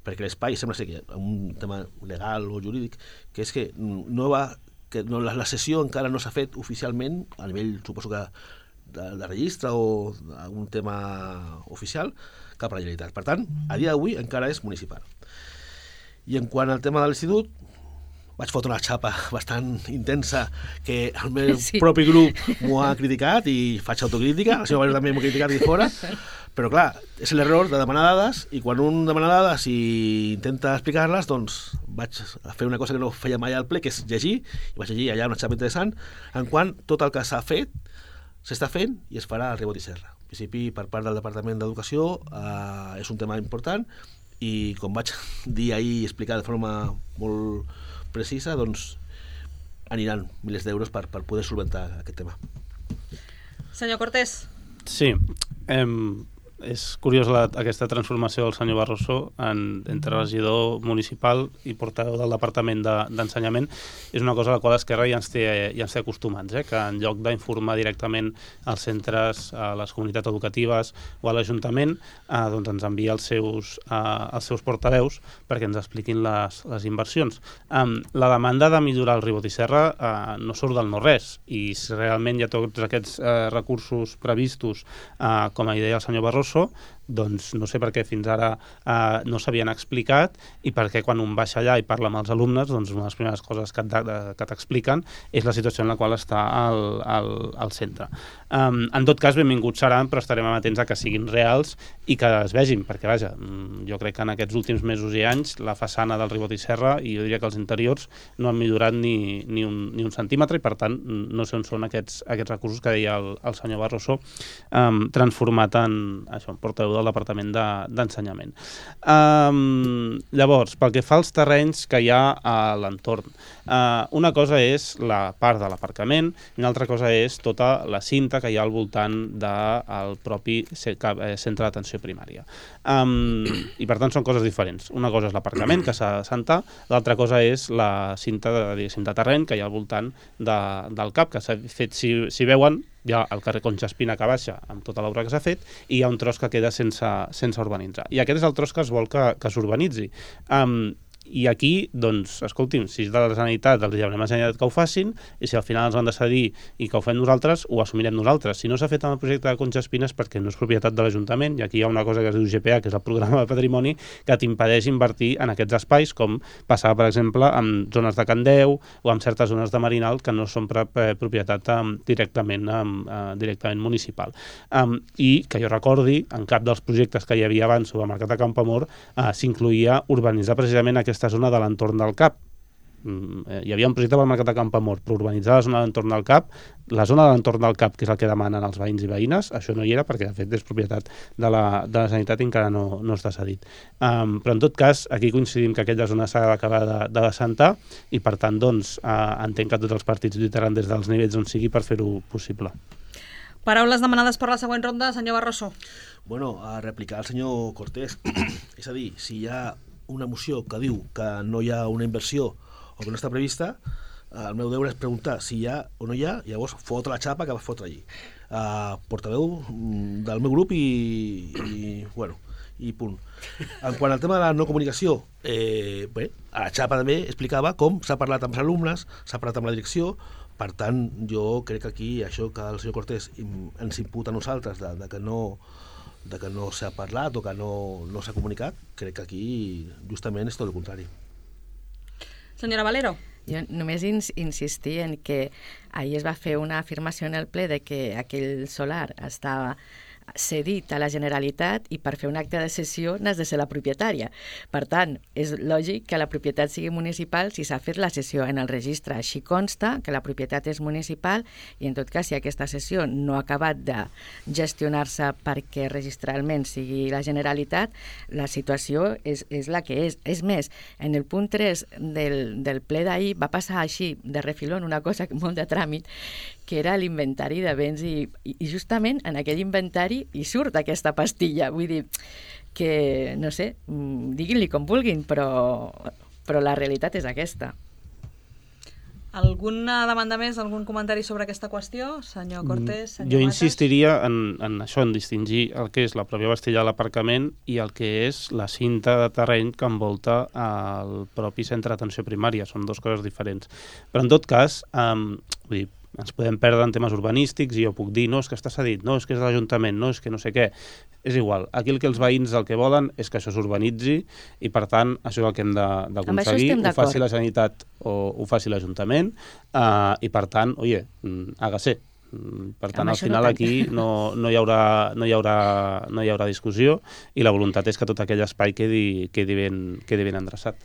[SPEAKER 5] perquè l'espai sembla ser que un tema legal o jurídic, que és que la cessió encara no s'ha fet oficialment a nivell, suposo que de registre o algun tema oficial, cap a la Generalitat. Per tant, a dia d'avui encara és municipal. I en quant al tema de l'institut, vaig fotre una xapa bastant intensa que el meu propi grup m'ho ha criticat i faig autocrítica, el senyor Valero també m'ho ha criticat aquí fora, però clar, és l'error de demanar dades i quan un demana dades i intenta explicar-les, doncs vaig fer una cosa que no feia mai al ple, que és llegir, i vaig llegir allà una xapa interessant en quant tot el que s'ha fet s'està fent i es farà al Ribot i Serra. En principi, per part del Departament d'Educació, és un tema important i com vaig dir ahir i explicar de forma molt precisa, doncs aniran milers d'euros per poder solventar aquest tema.
[SPEAKER 2] Senyor Cortés.
[SPEAKER 3] Sí, és curiós aquesta transformació del senyor Barroso entre regidor municipal i portaveu del Departament d'Ensenyament. És una cosa a la qual Esquerra ja ens té acostumats, que en lloc d'informar directament als centres, a les comunitats educatives o a l'Ajuntament, doncs ens envia els seus portaveus perquè ens expliquin les inversions. La demanda de millorar el Ribot i Serra no surt del no-res, i si realment hi ha tots aquests recursos previstos, com a idea el senyor Barroso, doncs no sé per què fins ara no s'havien explicat i perquè quan un baixa allà i parla amb els alumnes, doncs una de les primeres coses que t'expliquen és la situació en la qual està al centre. En tot cas, benvinguts seran, però estarem atents a que siguin reals i que es vegin, perquè vaja, jo crec que en aquests últims mesos i anys la façana del Ribot i Serra, i jo diria que els interiors, no han millorat ni un centímetre i per tant no sé on són aquests recursos que deia el senyor Barroso, transformat en portaveu del Departament d'Ensenyament. Llavors, pel que fa als terrenys que hi ha a l'entorn, una cosa és la part de l'aparcament i una altra cosa és tota la cinta que hi ha al voltant del propi centre d'atenció primària. I per tant són coses diferents. Una cosa és l'aparcament que s'ha d'assentar, l'altra cosa és la cinta de terreny que hi ha al voltant del CAP, que s'ha fet, si veuen, hi ha el carrer Concha Espina que baixa amb tota l'obra que s'ha fet i hi ha un tros que queda sense urbanitzar. I aquest és el tros que es vol que s'urbanitzi. I aquí, doncs, escolti'm, si és de la Generalitat, els demanem a la Generalitat que ho facin, i si al final ens han de cedir i que ho fem nosaltres, ho assumirem nosaltres. Si no s'ha fet amb el projecte de Concha Espina és perquè no és propietat de l'Ajuntament, i aquí hi ha una cosa que es diu GPA, que és el Programa de Patrimoni, que t'impedeix invertir en aquests espais, com passava, per exemple, amb zones de Can Deu o amb certes zones de Marinal que no són propietat directament municipal. I que jo recordi, en cap dels projectes que hi havia abans sobre el Mercat de Campoamor s'incloïa urbanitzar precisament aquesta zona de l'entorn del CAP. Hi havia un projecte pel Mercat de Campoamor per urbanitzar la zona de l'entorn del CAP. La zona de l'entorn del CAP, que és el que demanen els veïns i veïnes, això no hi era perquè de fet és propietat de la Generalitat i encara no està cedit. Però en tot cas, aquí coincidim que aquella zona s'ha d'acabar d'assentar i per tant doncs, entenc que tots els partits lluitaran des dels nivells on sigui per fer-ho possible.
[SPEAKER 2] Paraules demanades per la següent ronda, senyor Barroso.
[SPEAKER 5] Bueno, a replicar al senyor Cortés. És a dir, si hi ha una moció que diu que no hi ha una inversió o que no està prevista, el meu deure és preguntar si hi ha o no hi ha, i llavors fotre la xapa que va fotre allí. Portaveu del meu grup i punt. En quant al tema de la no comunicació, bé, a la xapa també explicava com s'ha parlat amb els alumnes, s'ha parlat amb la direcció. Per tant, jo crec que aquí això que el senyor Cortés ens imputa a nosaltres de que no s'ha parlat o que no s'ha comunicat, crec que aquí justament és tot el contrari.
[SPEAKER 2] Senyora Valero.
[SPEAKER 6] Jo només insistir en que ahir es va fer una afirmació en el ple de que aquell solar estava cedit a la Generalitat i per fer un acte de cessió n'has de ser la propietària. Per tant, és lògic que la propietat sigui municipal si s'ha fet la cessió en el registre. Així consta que la propietat és municipal i en tot cas si aquesta cessió no ha acabat de gestionar-se perquè registralment sigui la Generalitat, la situació és la que és. És més, en el punt 3 del ple d'ahir va passar així de refilón una cosa molt de tràmit, que era l'inventari de béns i justament en aquell inventari hi surt aquesta pastilla. Vull dir que, no sé, diguin-li com vulguin, però la realitat és aquesta.
[SPEAKER 2] Alguna demanda més, algun comentari sobre aquesta qüestió? Senyor Cortés, senyor
[SPEAKER 3] Jo
[SPEAKER 2] Matas?
[SPEAKER 3] insistiria en això, en distingir el que és la pròpia pastilla de l'aparcament i el que és la cinta de terreny que envolta el propi centre d'atenció primària. Són dues coses diferents. Però en tot cas, vull dir, ens podem perdre en temes urbanístics i jo puc dir, no, és que està cedit, no, és que és de l'Ajuntament, no, és que no sé què. És igual. Aquí el que els veïns el que volen és que això s'urbanitzi i, per tant, això és el que hem d'aconseguir. Ho faci la Generalitat o ho faci l'Ajuntament i, per tant, oye, hágase. Per tant, al final aquí no hi haurà discussió i la voluntat és que tot aquell espai quedi ben endreçat.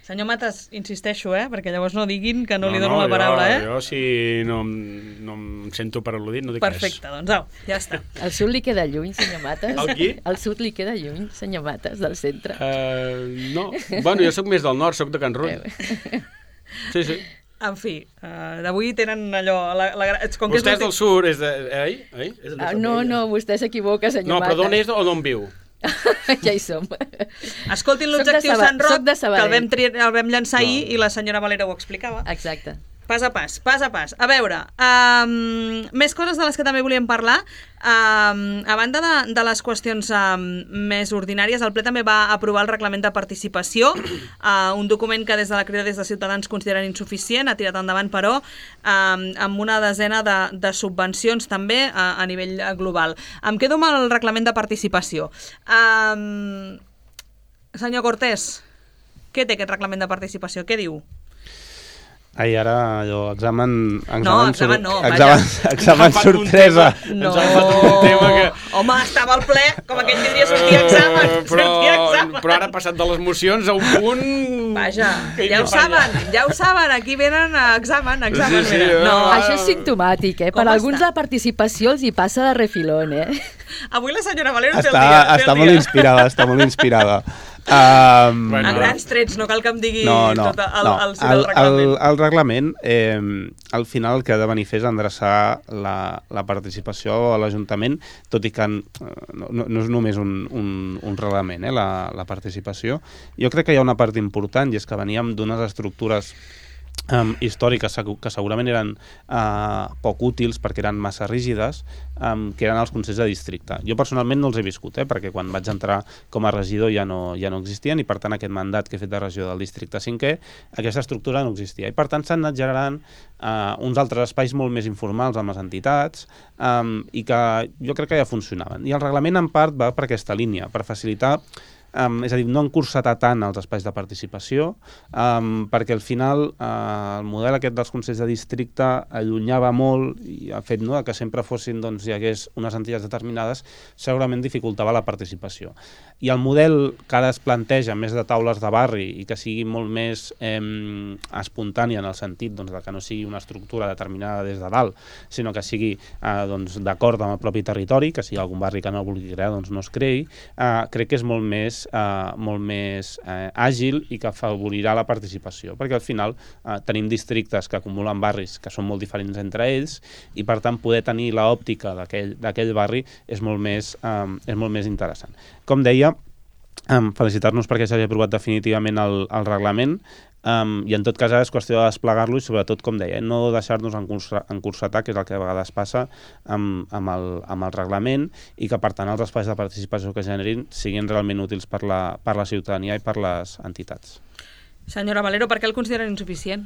[SPEAKER 2] Senyor Matas, insisteixo, perquè llavors no diguin que no li dono la paraula,
[SPEAKER 4] Jo si no em sento per al·ludit no dic res.
[SPEAKER 2] Perfecte, doncs au, ja està.
[SPEAKER 6] Al sud li queda lluny, senyor Matas?
[SPEAKER 4] El qui?
[SPEAKER 6] Al sud li queda lluny, senyor Matas, del centre?
[SPEAKER 4] No, bueno, jo sóc més del nord, sóc de Can Rull. Sí.
[SPEAKER 2] En fi, d'avui tenen allò...
[SPEAKER 4] Vostè és del sud, és de...
[SPEAKER 6] No, vostè s'equivoca, senyor Matas.
[SPEAKER 4] No, però d'on és o d'on viu?
[SPEAKER 6] Ja hi som.
[SPEAKER 2] Escoltin l'objectiu Sant Roc, que el vam llançar ahir i la senyora Valera ho explicava.
[SPEAKER 6] Exacte.
[SPEAKER 2] Pas a pas. A veure, més coses de les que també volíem parlar. A banda de les qüestions més ordinàries, el ple també va aprovar el reglament de participació, un document que des de la Crida des de Ciutadans consideren insuficient, ha tirat endavant, però, amb una desena de subvencions també a nivell global. Em quedo amb el reglament de participació. Senyor Cortés, què té aquest reglament de participació? Què diu?
[SPEAKER 3] Ai, ara allò, examen sorpresa.
[SPEAKER 2] No, home, estava al ple, com aquell que diria sortia examen.
[SPEAKER 4] Però ara ha passat de les mocions a un punt...
[SPEAKER 2] Vaja, ja ho saben, aquí venen a examen.
[SPEAKER 4] Sí,
[SPEAKER 6] no. Això és simptomàtic, Per alguns la participació els hi passa de refilón,
[SPEAKER 2] Avui la senyora Valero té el dia.
[SPEAKER 3] Està molt inspirada.
[SPEAKER 2] A grans trets, no cal que em digui tot el reglament.
[SPEAKER 3] El reglament, al final el que ha de venir a fer és endreçar la participació a l'Ajuntament, tot i que no és només un reglament, la participació. Jo crec que hi ha una part important, i és que veníem d'unes estructures històriques que segurament eren poc útils perquè eren massa rígides, que eren els consells de districte. Jo personalment no els he viscut, perquè quan vaig entrar com a regidor ja no existien, i per tant aquest mandat que he fet de regidor del districte 5è, aquesta estructura no existia, i per tant s'han anat generant uns altres espais molt més informals amb les entitats i que jo crec que ja funcionaven. I el reglament en part va per aquesta línia, per facilitar és a dir, no encursetar tant els espais de participació, perquè al final el model aquest dels consells de districte allunyava molt i ha fet que sempre fossin, hi hagués unes entitats determinades, segurament dificultava la participació. I el model que ara es planteja més de taules de barri i que sigui molt més espontània en el sentit de que no sigui una estructura determinada des de dalt, sinó que sigui d'acord amb el propi territori, que sigui algun barri que no vulgui crear, no es creï, crec que és molt més àgil i que afavorirà la participació, perquè al final tenim districtes que acumulen barris que són molt diferents entre ells i per tant poder tenir l'òptica d'aquell barri és molt més interessant. Com deia, felicitar-nos perquè s'hagi aprovat definitivament el reglament, i en tot cas ara és qüestió de desplegar-lo i sobretot, com deia, no deixar-nos encursetar, que és el que a vegades passa amb el reglament, i que per tant els espais de participació que generin siguin realment útils per la ciutadania i per les entitats.
[SPEAKER 2] Senyora Valero, per què el consideren insuficient?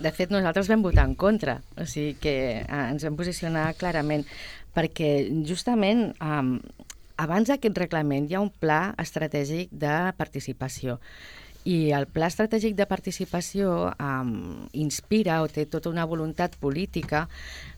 [SPEAKER 6] De fet, nosaltres vam votar en contra, o sigui que ens vam posicionar clarament, perquè justament abans d'aquest reglament hi ha un pla estratègic de participació. I el Pla Estratègic de Participació inspira o té tota una voluntat política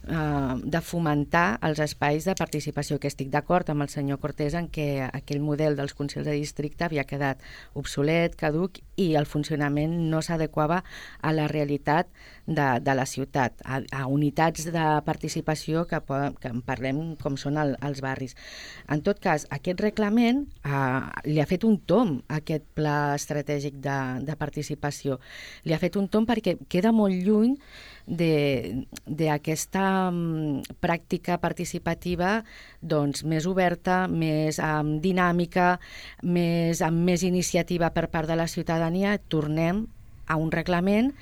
[SPEAKER 6] de fomentar els espais de participació, que estic d'acord amb el senyor Cortés en què aquell model dels consells de districte havia quedat obsolet, caduc, i el funcionament no s'adequava a la realitat de la ciutat, a unitats de participació que en parlem com són els barris. En tot cas, aquest reglament li ha fet un tomb a aquest pla estratègic de participació. Li ha fet un tomb perquè queda molt lluny d'aquesta pràctica participativa més oberta, més dinàmica, amb més iniciativa per part de la ciutadania. Tornem a un reglament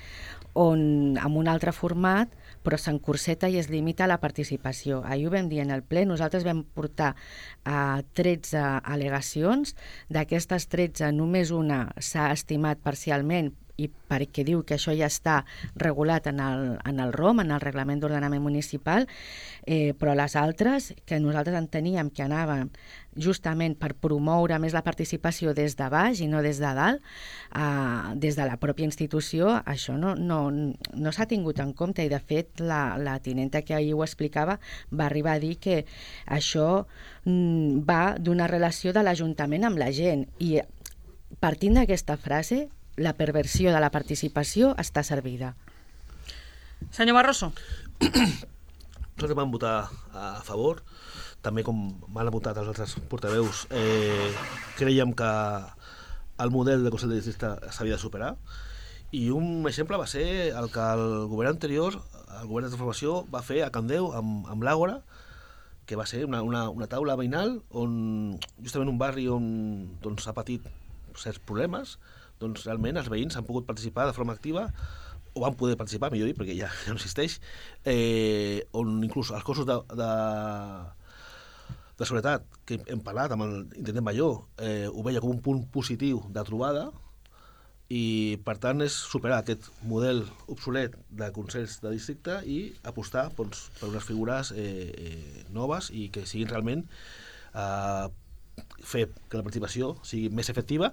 [SPEAKER 6] on, amb un altre format, però s'encorseta i es limita a la participació. Ahir ho vam dir en el ple, nosaltres vam portar 13 al·legacions, d'aquestes 13 només una s'ha estimat parcialment i perquè diu que això ja està regulat en el ROM, en el Reglament d'Ordenament Municipal, però les altres, que nosaltres enteníem que anaven justament per promoure més la participació des de baix i no des de dalt, des de la pròpia institució, això no s'ha tingut en compte, i de fet la tinenta que ahir ho explicava va arribar a dir que això va d'una relació de l'Ajuntament amb la gent, i partint d'aquesta frase la perversió de la participació està servida.
[SPEAKER 2] Senyor Barroso.
[SPEAKER 5] Nosaltres vam votar a favor, també com m'han votat els altres portaveus. Creiem que el model de Consell de Districte s'havia de superar, i un exemple va ser el que el govern anterior, el govern de transformació, va fer a Candeu amb l'Àgora, que va ser una taula veïnal on justament un barri on ha patit certs problemes, doncs realment els veïns han pogut participar de forma activa, o van poder participar, millor dit, perquè ja no existeix, on inclús els cossos de seguretat, que hem parlat amb l'intendent Major, ho veia com un punt positiu de trobada, i per tant és superar aquest model obsolet de consells de districte i apostar per unes figures noves i que siguin realment fer que la participació sigui més efectiva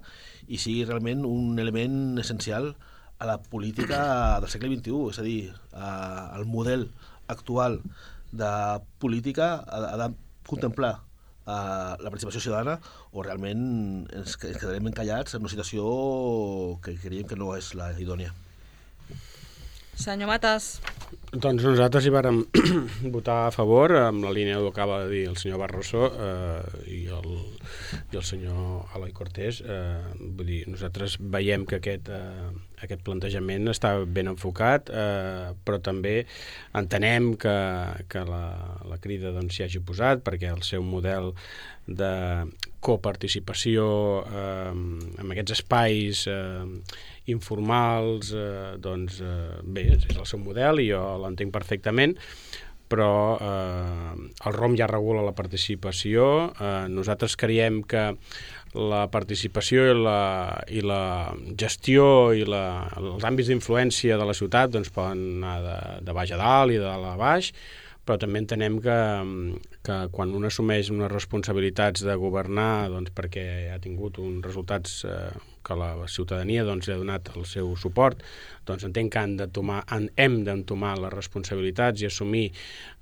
[SPEAKER 5] i sigui realment un element essencial a la política del segle XXI. És a dir, el model actual de política ha de contemplar la participació ciutadana, o realment ens quedarem encallats en una situació que creiem que no és la idònia.
[SPEAKER 2] Senyor Matas.
[SPEAKER 4] Doncs nosaltres hi vàrem votar a favor, amb la línia del que acaba de dir el senyor Barroso i el senyor Eloi Cortés. Vull dir, nosaltres veiem que aquest plantejament està ben enfocat, però també entenem que la Crida s'hi hagi posat, perquè el seu model de coparticipació en aquests espais informals, bé, és el seu model i jo l'entenc perfectament, però el ROM ja regula la participació. Nosaltres creiem que la participació i la gestió i els àmbits d'influència de la ciutat poden anar de baix a dalt i de dalt a baix, però també entenem que quan un assumeix unes responsabilitats de governar perquè ha tingut uns resultats que la ciutadania li ha donat el seu suport, entenc que hem d'entomar les responsabilitats i assumir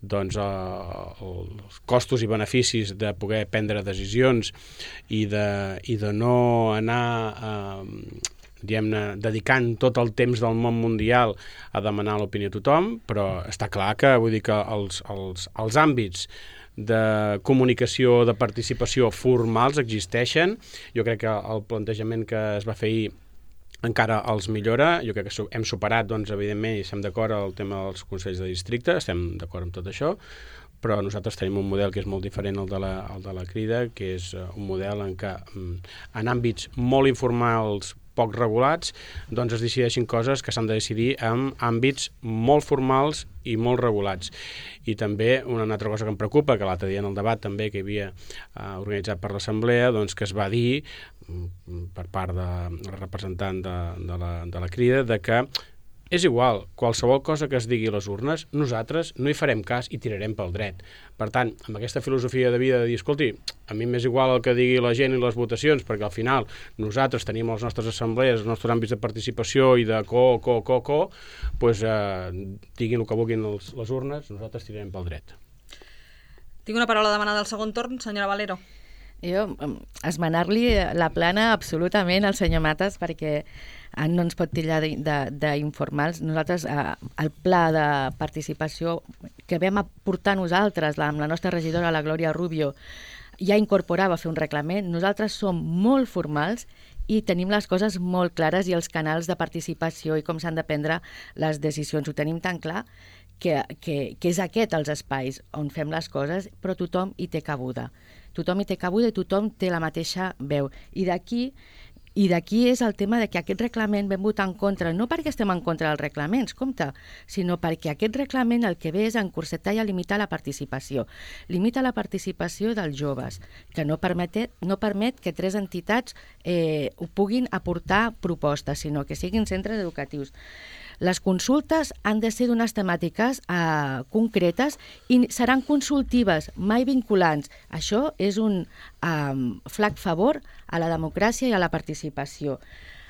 [SPEAKER 4] els costos i beneficis de poder prendre decisions i de no anar dedicant tot el temps del món mundial a demanar l'opinió a tothom, però està clar que els àmbits de comunicació, de participació formals existeixen. Jo crec que el plantejament que es va fer ahir encara els millora. Jo crec que hem superat, evidentment, i estem d'acord al tema dels consells de districte, estem d'acord amb tot això, però nosaltres tenim un model que és molt diferent al de la Crida, que és un model en què en àmbits molt informals, poc regulats, es decideixin coses que s'han de decidir en àmbits molt formals i molt regulats. I també una altra cosa que em preocupa, que l'altre dia en el debat també que hi havia organitzat per l'Assemblea, que es va dir per part del representant de la Crida, de que és igual, qualsevol cosa que es digui a les urnes, nosaltres no hi farem cas i tirarem pel dret. Per tant, amb aquesta filosofia de vida de dir, escolti, a mi m'és igual el que digui la gent i les votacions, perquè al final nosaltres tenim les nostres assemblees, els nostres àmbits de participació i de doncs diguin el que vulguin les urnes, nosaltres tirarem pel dret.
[SPEAKER 2] Tinc una paraula demanada al segon torn, senyora Valero.
[SPEAKER 6] Jo, esmenar-li la plana absolutament al senyor Matas, perquè no ens pot titllar d'informals. Nosaltres, el pla de participació que vam aportar nosaltres, amb la nostra regidora, la Glòria Rubio, ja incorporava fer un reglament. Nosaltres som molt formals i tenim les coses molt clares i els canals de participació i com s'han de prendre les decisions. Ho tenim tan clar que és aquest els espais on fem les coses, però tothom hi té cabuda. Tothom hi té cabuda i tothom té la mateixa veu. I d'aquí és el tema de que aquest reglament vam votar en contra, no perquè estem en contra dels reglaments, compte, sinó perquè aquest reglament el que ve és encursetar i a limitar la participació. Limita la participació dels joves, que no permet que 3 entitats ho puguin aportar propostes, sinó que siguin centres educatius. Les consultes han de ser d'unes temàtiques concretes i seran consultives, mai vinculants. Això és un flac favor a la democràcia i a la participació.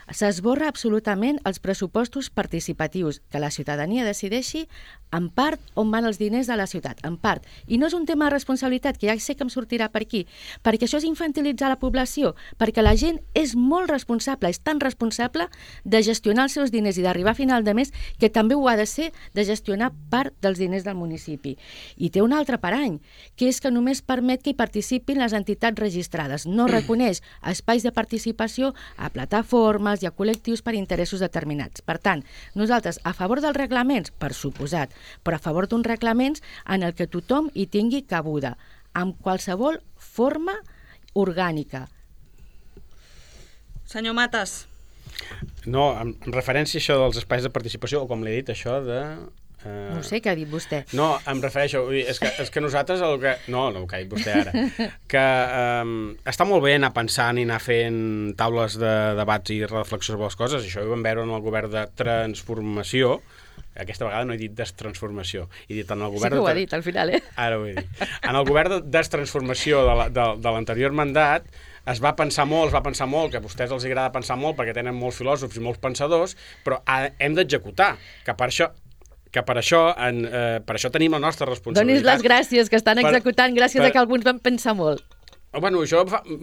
[SPEAKER 6] S'esborra absolutament els pressupostos participatius, que la ciutadania decideixi en part on van els diners de la ciutat, en part. I no és un tema de responsabilitat, que ja sé que em sortirà per aquí, perquè això és infantilitzar la població, perquè la gent és molt responsable, és tan responsable de gestionar els seus diners i d'arribar a final de mes que també ho ha de ser de gestionar part dels diners del municipi. I té un altre parany, que és que només permet que hi participin les entitats registrades. No reconeix espais de participació a plataformes i a col·lectius per interessos determinats. Per tant, nosaltres a favor dels reglaments, per suposat, però a favor d'uns reglaments en el que tothom hi tingui cabuda, amb qualsevol forma orgànica.
[SPEAKER 2] Senyor Matas.
[SPEAKER 4] No, en referència a això dels espais de participació, o com l'he dit, això de...
[SPEAKER 6] No sé què ha dit vostè.
[SPEAKER 4] No, em refereixo, és que nosaltres el que... No, el que ha dit vostè ara. Que està molt bé anar pensant i anar fent taules de debats i reflexió sobre les coses. Això ho vam veure en el govern de transformació. Aquesta vegada no he dit destransformació. He dit en el govern
[SPEAKER 6] sí que ho ha dit al final,
[SPEAKER 4] Ara ho he dit. En el govern de destransformació de l'anterior mandat es va pensar molt, que a vostès els agrada pensar molt perquè tenen molts filòsofs i molts pensadors, però hem d'executar, que per això tenim la nostra responsabilitat.
[SPEAKER 6] Donis les gràcies, que estan executant gràcies a que alguns van pensar molt.
[SPEAKER 4] Bueno,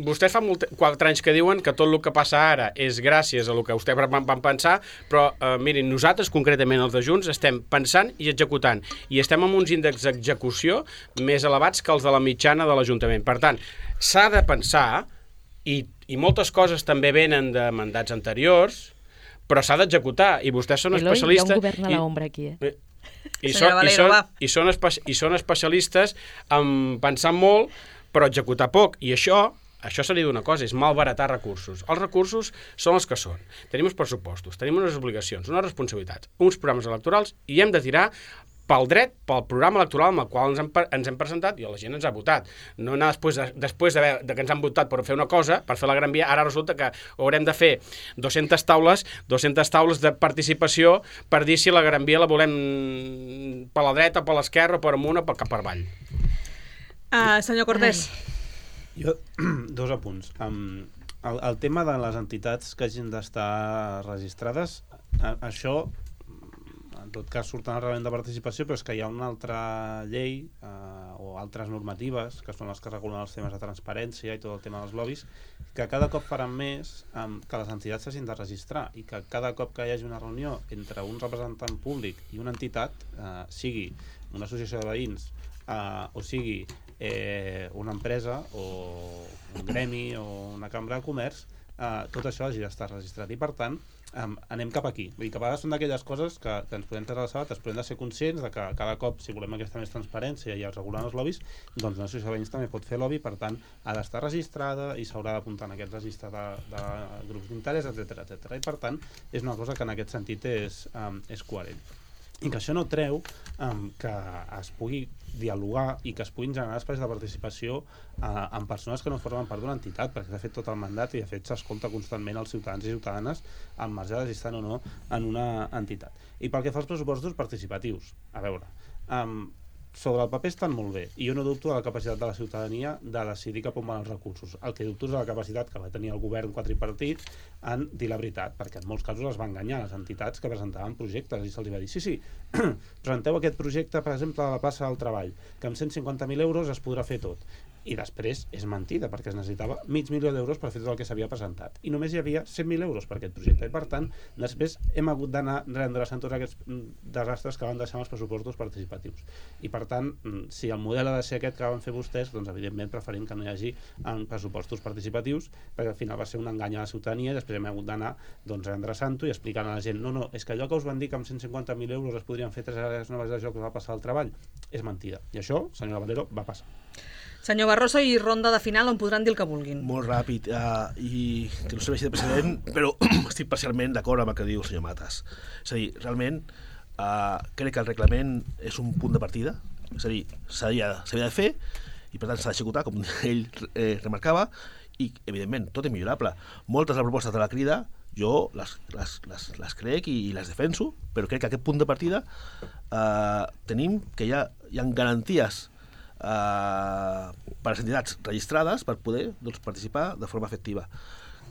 [SPEAKER 4] vostès fa 4 anys que diuen que tot el que passa ara és gràcies a el que vostès van pensar, però mirin, nosaltres concretament els de Junts estem pensant i executant, i estem amb uns índexs d'execució més elevats que els de la mitjana de l'Ajuntament. Per tant, s'ha de pensar, i moltes coses també venen de mandats anteriors, però s'ha d'executar, i vostès són especialistes...
[SPEAKER 6] Hi ha un govern a l'ombra aquí,
[SPEAKER 4] I són especialistes en pensar molt, però executar poc, i això seria d'una cosa, és malbaratar recursos. Els recursos són els que són. Tenim uns pressupostos, tenim unes obligacions, unes responsabilitats, uns programes electorals, i hem de tirar pel dret, pel programa electoral amb el qual ens hem presentat i la gent ens ha votat. No anar després de que ens han votat per fer una cosa, per fer la Gran Via, ara resulta que haurem de fer 200 taules de participació per dir si la Gran Via la volem per la dreta, per l'esquerra, per amunt o cap per avall.
[SPEAKER 2] Senyor Cortés.
[SPEAKER 3] Jo, 2 apunts. El tema de les entitats que hagin d'estar registrades, això en tot cas surt en el reglament de participació, però és que hi ha una altra llei o altres normatives, que són les que regulen els temes de transparència i tot el tema dels lobbies, que cada cop faran més que les entitats s'hagin de registrar, i que cada cop que hi hagi una reunió entre un representant públic i una entitat, sigui una associació de veïns o sigui una empresa o un gremi o una cambra de comerç, tot això hagi d'estar registrat, i per tant anem cap aquí. Vull dir que a vegades són d'aquelles coses que ens podem treure a les sabates, però hem de ser conscients de que cada cop, si volem aquesta més transparència i regular els lobbies, doncs una associació de veïns també pot fer lobby, per tant ha d'estar registrada i s'haurà d'apuntar en aquest registre de grups d'interès, etc. I per tant és una cosa que en aquest sentit és coherent. i que això no treu que es pugui dialogar i que es puguin generar espais de participació amb persones que no formen part d'una entitat, perquè s'ha fet tot el mandat i de fet s'escolta constantment els ciutadans i ciutadanes al marge de si estan o no en una entitat. I pel que fa als pressupostos participatius, a veure, sobre el paper estan molt bé i jo no dubto de la capacitat de la ciutadania de decidir cap on van els recursos. El que dubto és de la capacitat que va tenir el govern quadripartit en dir la veritat, perquè en molts casos es va enganyar les entitats que presentaven projectes i se'ls va dir sí, presenteu aquest projecte, per exemple, a la plaça del Treball, que amb 150.000 euros es podrà fer tot. I després és mentida, perquè es necessitava $500.000 per fer tot el que s'havia presentat. I només hi havia 100.000 euros per aquest projecte. I per tant, després hem hagut d'anar redreçant tots aquests desastres que van deixar els pressupostos participatius. I per tant, si el model ha de ser aquest que van fer vostès, doncs evidentment preferim que no hi hagi pressupostos participatius, perquè al final va ser un engany a la ciutadania i després hem hagut d'anar redreçant-ho i explicant a la gent no, és que allò que us van dir que amb 150.000 euros es podrien fer 3 àrees noves de joc que va passar al Treball és mentida. I això, senyora Valero, va passar.
[SPEAKER 2] Senyor Barroso, i ronda de final on podran dir el que vulguin.
[SPEAKER 5] Molt ràpid, i que no serveixi de precedent, però estic parcialment d'acord amb el que diu el senyor Matas. És a dir, realment, crec que el reglament és un punt de partida, és a dir, s'havia de fer, i per tant s'ha d'executar, com ell remarcava, i, evidentment, tot és millorable. Moltes de les propostes de la Crida, jo les crec i les defenso, però crec que aquest punt de partida tenim que hi ha garanties per a les entitats registrades per poder participar de forma efectiva.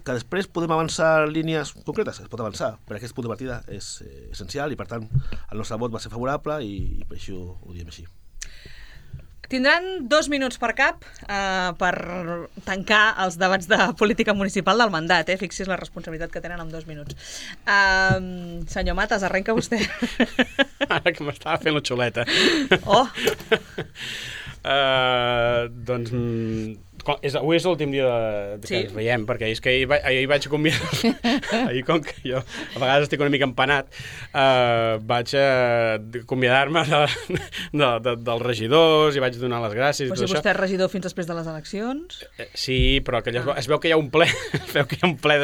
[SPEAKER 5] Que després podem avançar línies concretes, es pot avançar, però aquest punt de partida és essencial i per tant el nostre vot va ser favorable i per això ho diem així.
[SPEAKER 2] Tindran 2 minuts per cap per tancar els debats de política municipal del mandat. Fixi's la responsabilitat que tenen amb 2 minuts. Senyor Matas, arrenca vostè.
[SPEAKER 4] Ara que m'estava fent la xuleta.
[SPEAKER 2] Oh!
[SPEAKER 4] Doncs avui és l'últim dia que ens veiem, perquè és que ahir vaig convidar ahir, com que jo a vegades estic una mica empanat, vaig convidar-me dels regidors i vaig donar les gràcies.
[SPEAKER 2] Però si vostè és regidor fins després de les eleccions?
[SPEAKER 4] Sí, però que es veu que hi ha un ple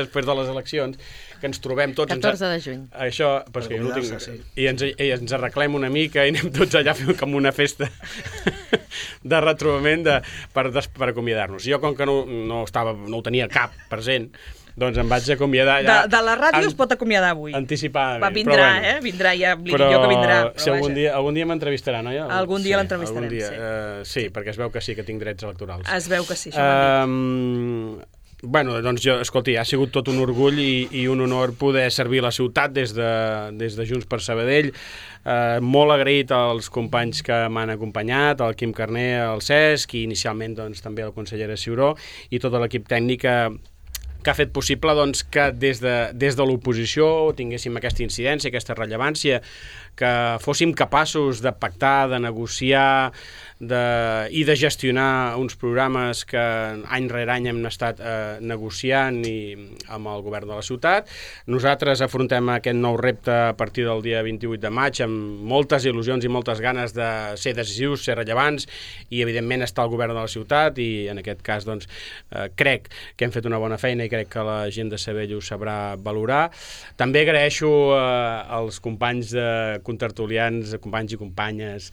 [SPEAKER 4] després de les eleccions, que ens trobem tots...
[SPEAKER 6] 14 de juny.
[SPEAKER 4] Això, perquè jo no tinc... I ens arreglem una mica i anem tots allà a fer com una festa de retrobament per acomiadar-nos. Jo, com que no ho tenia cap present, doncs em vaig acomiadar ja...
[SPEAKER 2] De la ràdio es pot acomiadar avui.
[SPEAKER 4] Anticipadament.
[SPEAKER 2] Vindrà, vindrà, ja li dic jo que vindrà.
[SPEAKER 4] Però algun dia m'entrevistarà, no?
[SPEAKER 2] Algun dia l'entrevistarem, sí.
[SPEAKER 4] Sí, perquè es veu que sí, que tinc drets electorals.
[SPEAKER 2] Es veu que sí, això m'han dit.
[SPEAKER 4] Bueno, doncs escolti, ha sigut tot un orgull i un honor poder servir la ciutat des de Junts per Sabadell. Molt agraït als companys que m'han acompanyat, al Quim Carner, al Cesc i inicialment doncs, també a la consellera Ciuró i tot l'equip tècnic que ha fet possible doncs, que des de l'oposició tinguéssim aquesta incidència, aquesta rellevància, que fóssim capaços de pactar, de negociar i de gestionar uns programes que any rere any hem estat negociant amb el govern de la ciutat. Nosaltres afrontem aquest nou repte a partir del dia 28 de maig amb moltes il·lusions i moltes ganes de ser decisius, ser rellevants i evidentment estar al govern de la ciutat i en aquest cas doncs, crec que hem fet una bona feina i crec que la gent de Sabadell ho sabrà valorar. També agraeixo als companys contertulians, companys i companyes,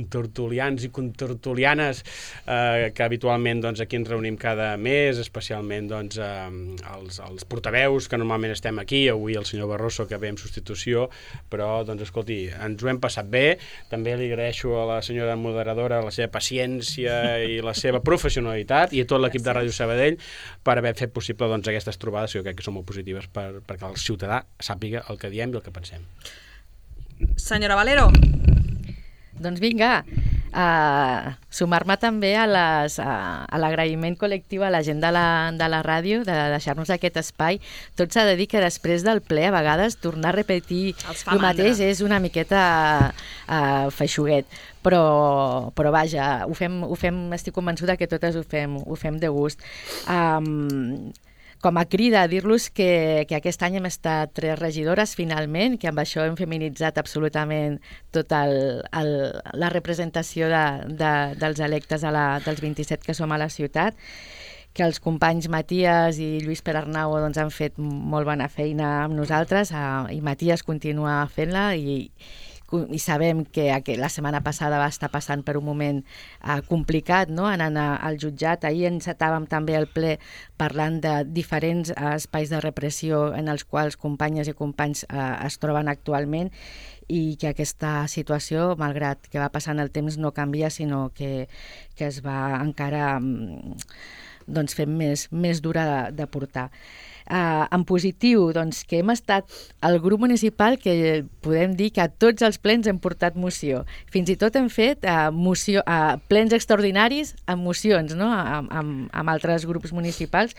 [SPEAKER 4] contertulians i contertulianes que habitualment doncs, aquí ens reunim cada mes, especialment doncs, els portaveus que normalment estem aquí, avui el senyor Barroso que ve en substitució, però doncs, escolti, ens ho hem passat bé. També li agraeixo a la senyora moderadora la seva paciència i la seva professionalitat i a tot l'equip de Ràdio Sabadell per haver fet possible doncs, aquestes trobades que jo crec que són molt positives perquè el ciutadà sàpiga el que diem i el que pensem.
[SPEAKER 2] Senyora Valero.
[SPEAKER 6] Doncs vinga, sumar-me també a l'agraïment col·lectiu a la gent de la ràdio de deixar-nos aquest espai. Tot s'ha de dir que després del ple a vegades tornar a repetir el mateix és una miqueta feixuguet. Però vaja, ho fem, estic convençuda que totes ho fem de gust. Com a crida, dir-los que aquest any hem estat 3 regidores finalment, que amb això hem feminitzat absolutament tota la representació dels electes dels 27 que som a la ciutat, els companys Matías i Lluís Perarnau doncs, han fet molt bona feina amb nosaltres i Matías continua fent-la i sabem que la setmana passada va estar passant per un moment complicat, no? Anant al jutjat. Ahir encetàvem també el ple parlant de diferents espais de repressió en els quals companyes i companys es troben actualment i que aquesta situació, malgrat que va passant el temps, no canvia, sinó que es va encara fent més dura de portar. En positiu, doncs, que hem estat el grup municipal que podem dir que a tots els plens hem portat moció. Fins i tot hem fet plens extraordinaris amb mocions, no? amb altres grups municipals,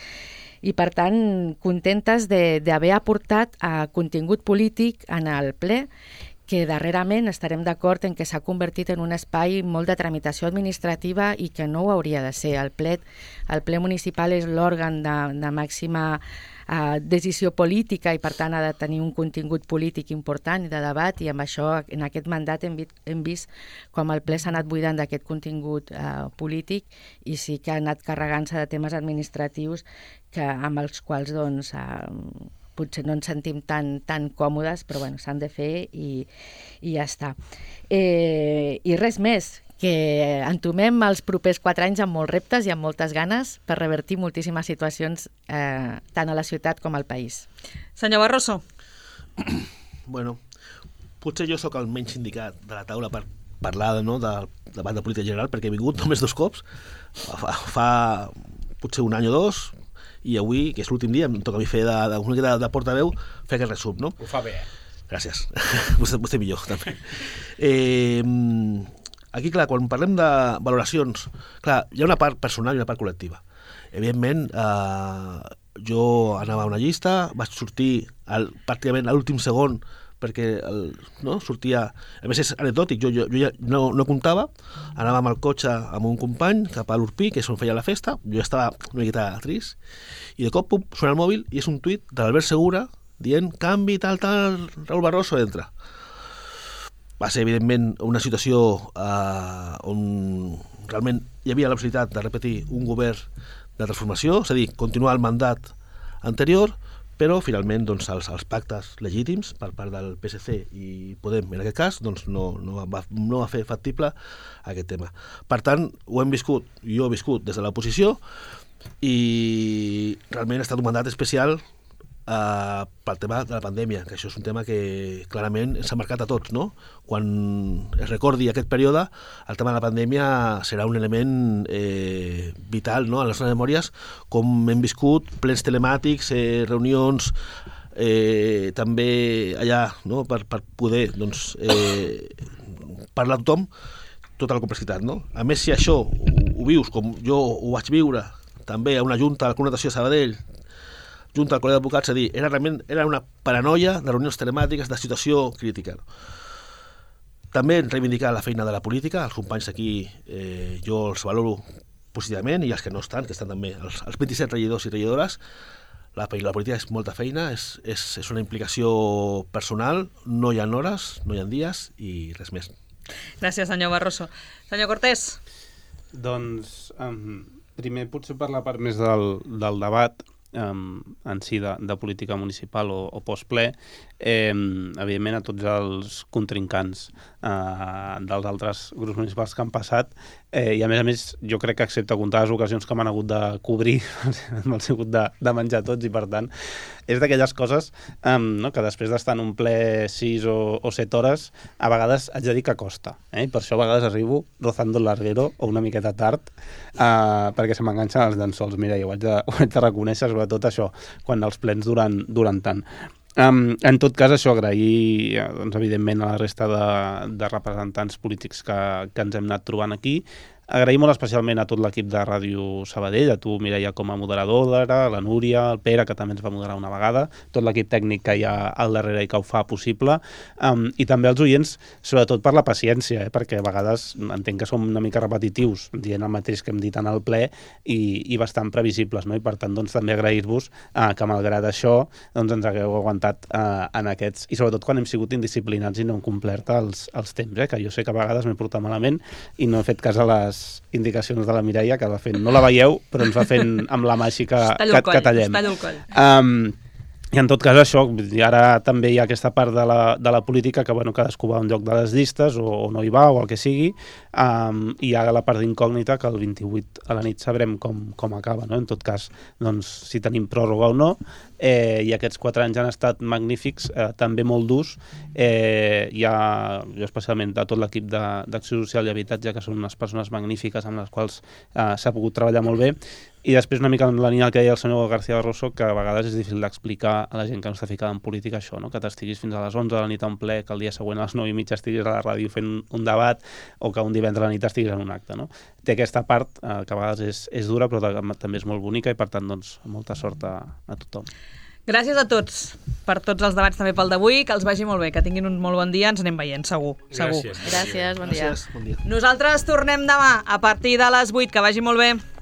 [SPEAKER 6] i per tant contentes d'haver aportat contingut polític en el ple, que darrerament estarem d'acord en que s'ha convertit en un espai molt de tramitació administrativa i que no ho hauria de ser. El ple municipal és l'òrgan de màxima decisió política i per tant ha de tenir un contingut polític important i de debat, i amb això en aquest mandat hem vist com el ple s'ha anat buidant d'aquest contingut polític i sí que ha anat carregant-se de temes administratius amb els quals doncs potser no ens sentim tan còmodes, però bueno, s'han de fer i ja està. I res més, que entomem els propers 4 anys amb molts reptes i amb moltes ganes per revertir moltíssimes situacions tant a la ciutat com al país.
[SPEAKER 2] Senyor Barroso.
[SPEAKER 5] Bueno, potser jo sóc el menys indicat de la taula per parlar del debat de política general, perquè he vingut només 2 cops, fa potser 1 any o 2, i avui, que és l'últim dia, em toca a mi fer de portaveu, fer aquest resum, no?
[SPEAKER 4] Ho fa bé,
[SPEAKER 5] Gràcies. Vostè millor, també. Aquí, clar, quan parlem de valoracions, clar, hi ha una part personal i una part col·lectiva. Evidentment, jo anava a una llista, vaig sortir pràcticament a l'últim segon, perquè sortia... A més, és anecdòtic, jo ja no comptava, anava amb el cotxe amb un company cap a l'Urpí, que és on feia la festa, jo ja estava una miqueta trist, i de cop sona el mòbil i és un tuit de l'Albert Segura dient canvi, tal, Raül Barroso entra. Va ser, evidentment, una situació on realment hi havia la possibilitat de repetir un govern de transformació, és a dir, continuar el mandat anterior, però finalment doncs, els pactes legítims per part del PSC i Podem, en aquest cas, doncs, no va fer factible aquest tema. Per tant, ho hem viscut, jo he viscut des de l'oposició, i realment ha estat un mandat especial pel tema de la pandèmia, que això és un tema que clarament ens ha marcat a tots, no? Quan es recordi aquest període, el tema de la pandèmia serà un element vital, no?, en les nostres memòries, com hem viscut plens telemàtics, reunions, també allà, no?, per poder doncs, parlar a tothom, tota la complexitat, no? A més, si això ho vius com jo ho vaig viure també a una junta de la Connotació de Sabadell, junta al Col·legi d'Advocats, a dir, era una paranoia de reunions telemàtiques, de situació crítica. També reivindicar la feina de la política, els companys aquí jo els valoro positivament, i els que no estan, que estan també, els 27 regidors i regidores, la política és molta feina, és una implicació personal, no hi ha hores, no hi ha dies i res més.
[SPEAKER 2] Gràcies, senyor Barroso. Senyor Cortés.
[SPEAKER 3] Doncs, primer potser per la part més del debat, en si de política municipal o postple, evidentment a tots els contrincants dels altres grups municipals que han passat, i a més jo crec que excepte comptar les ocasions que m'han hagut de cobrir m'han sigut de menjar tots, i per tant és d'aquelles coses que després d'estar en un ple 6 o 7 hores a vegades haig de dir que costa, i per això a vegades arribo rozando el larguero o una miqueta tard perquè se m'enganxen els llençols. Mira, jo ho haig de reconèixer, sobretot això, quan els plens duren tant. En tot cas, això, agrair doncs, evidentment a la resta de representants polítics que ens hem anat trobant aquí. Agrair molt especialment a tot l'equip de Ràdio Sabadell, a tu, Mireia, com a moderadora, la Núria, el Pere, que també ens va moderar una vegada, tot l'equip tècnic que hi ha al darrere i que ho fa possible, i també als oients, sobretot per la paciència, perquè a vegades entenc que som una mica repetitius, dient el mateix que hem dit en el ple, i bastant previsibles, no? I per tant doncs, també agrair-vos que malgrat això doncs, ens hagueu aguantat en aquests, i sobretot quan hem sigut indisciplinats i no hem complert els temps, que jo sé que a vegades m'he portat malament i no he fet cas a les les indicacions de la Mireia, que va fent, no la veieu, però ens va fent amb la mà així que tallem.
[SPEAKER 2] Tallo el coll.
[SPEAKER 3] I en tot cas això, ara també hi ha aquesta part de la política que bueno, cadascú va a un lloc de les llistes o no hi va o el que sigui, i hi ha la part d'incògnita que el 28 a la nit sabrem com acaba, no? En tot cas, doncs, si tenim pròrroga o no, i aquests 4 anys han estat magnífics, també molt durs, jo especialment de tot l'equip d'Acció Social i Habitatge, que són unes persones magnífiques amb les quals s'ha pogut treballar molt bé, i després una mica en la línia que deia el senyor García Barroso, que a vegades és difícil d'explicar a la gent que no està ficada en política això, no? Que t'estiguis fins a les 11 de la nit a un ple, que el dia següent a les 9:30 estiguis a la ràdio fent un debat, o que un divendres a la nit estiguis en un acte, no? Té aquesta part que a vegades és dura, però també és molt bonica, i per tant, doncs, molta sort a tothom.
[SPEAKER 2] Gràcies a tots per tots els debats, també pel d'avui, que els vagi molt bé, que tinguin un molt bon dia, ens anem veient, segur.
[SPEAKER 4] Gràcies.
[SPEAKER 6] Gràcies, bon dia.
[SPEAKER 5] Bon dia.
[SPEAKER 2] Nosaltres tornem demà a partir de les 8, que vagi molt bé.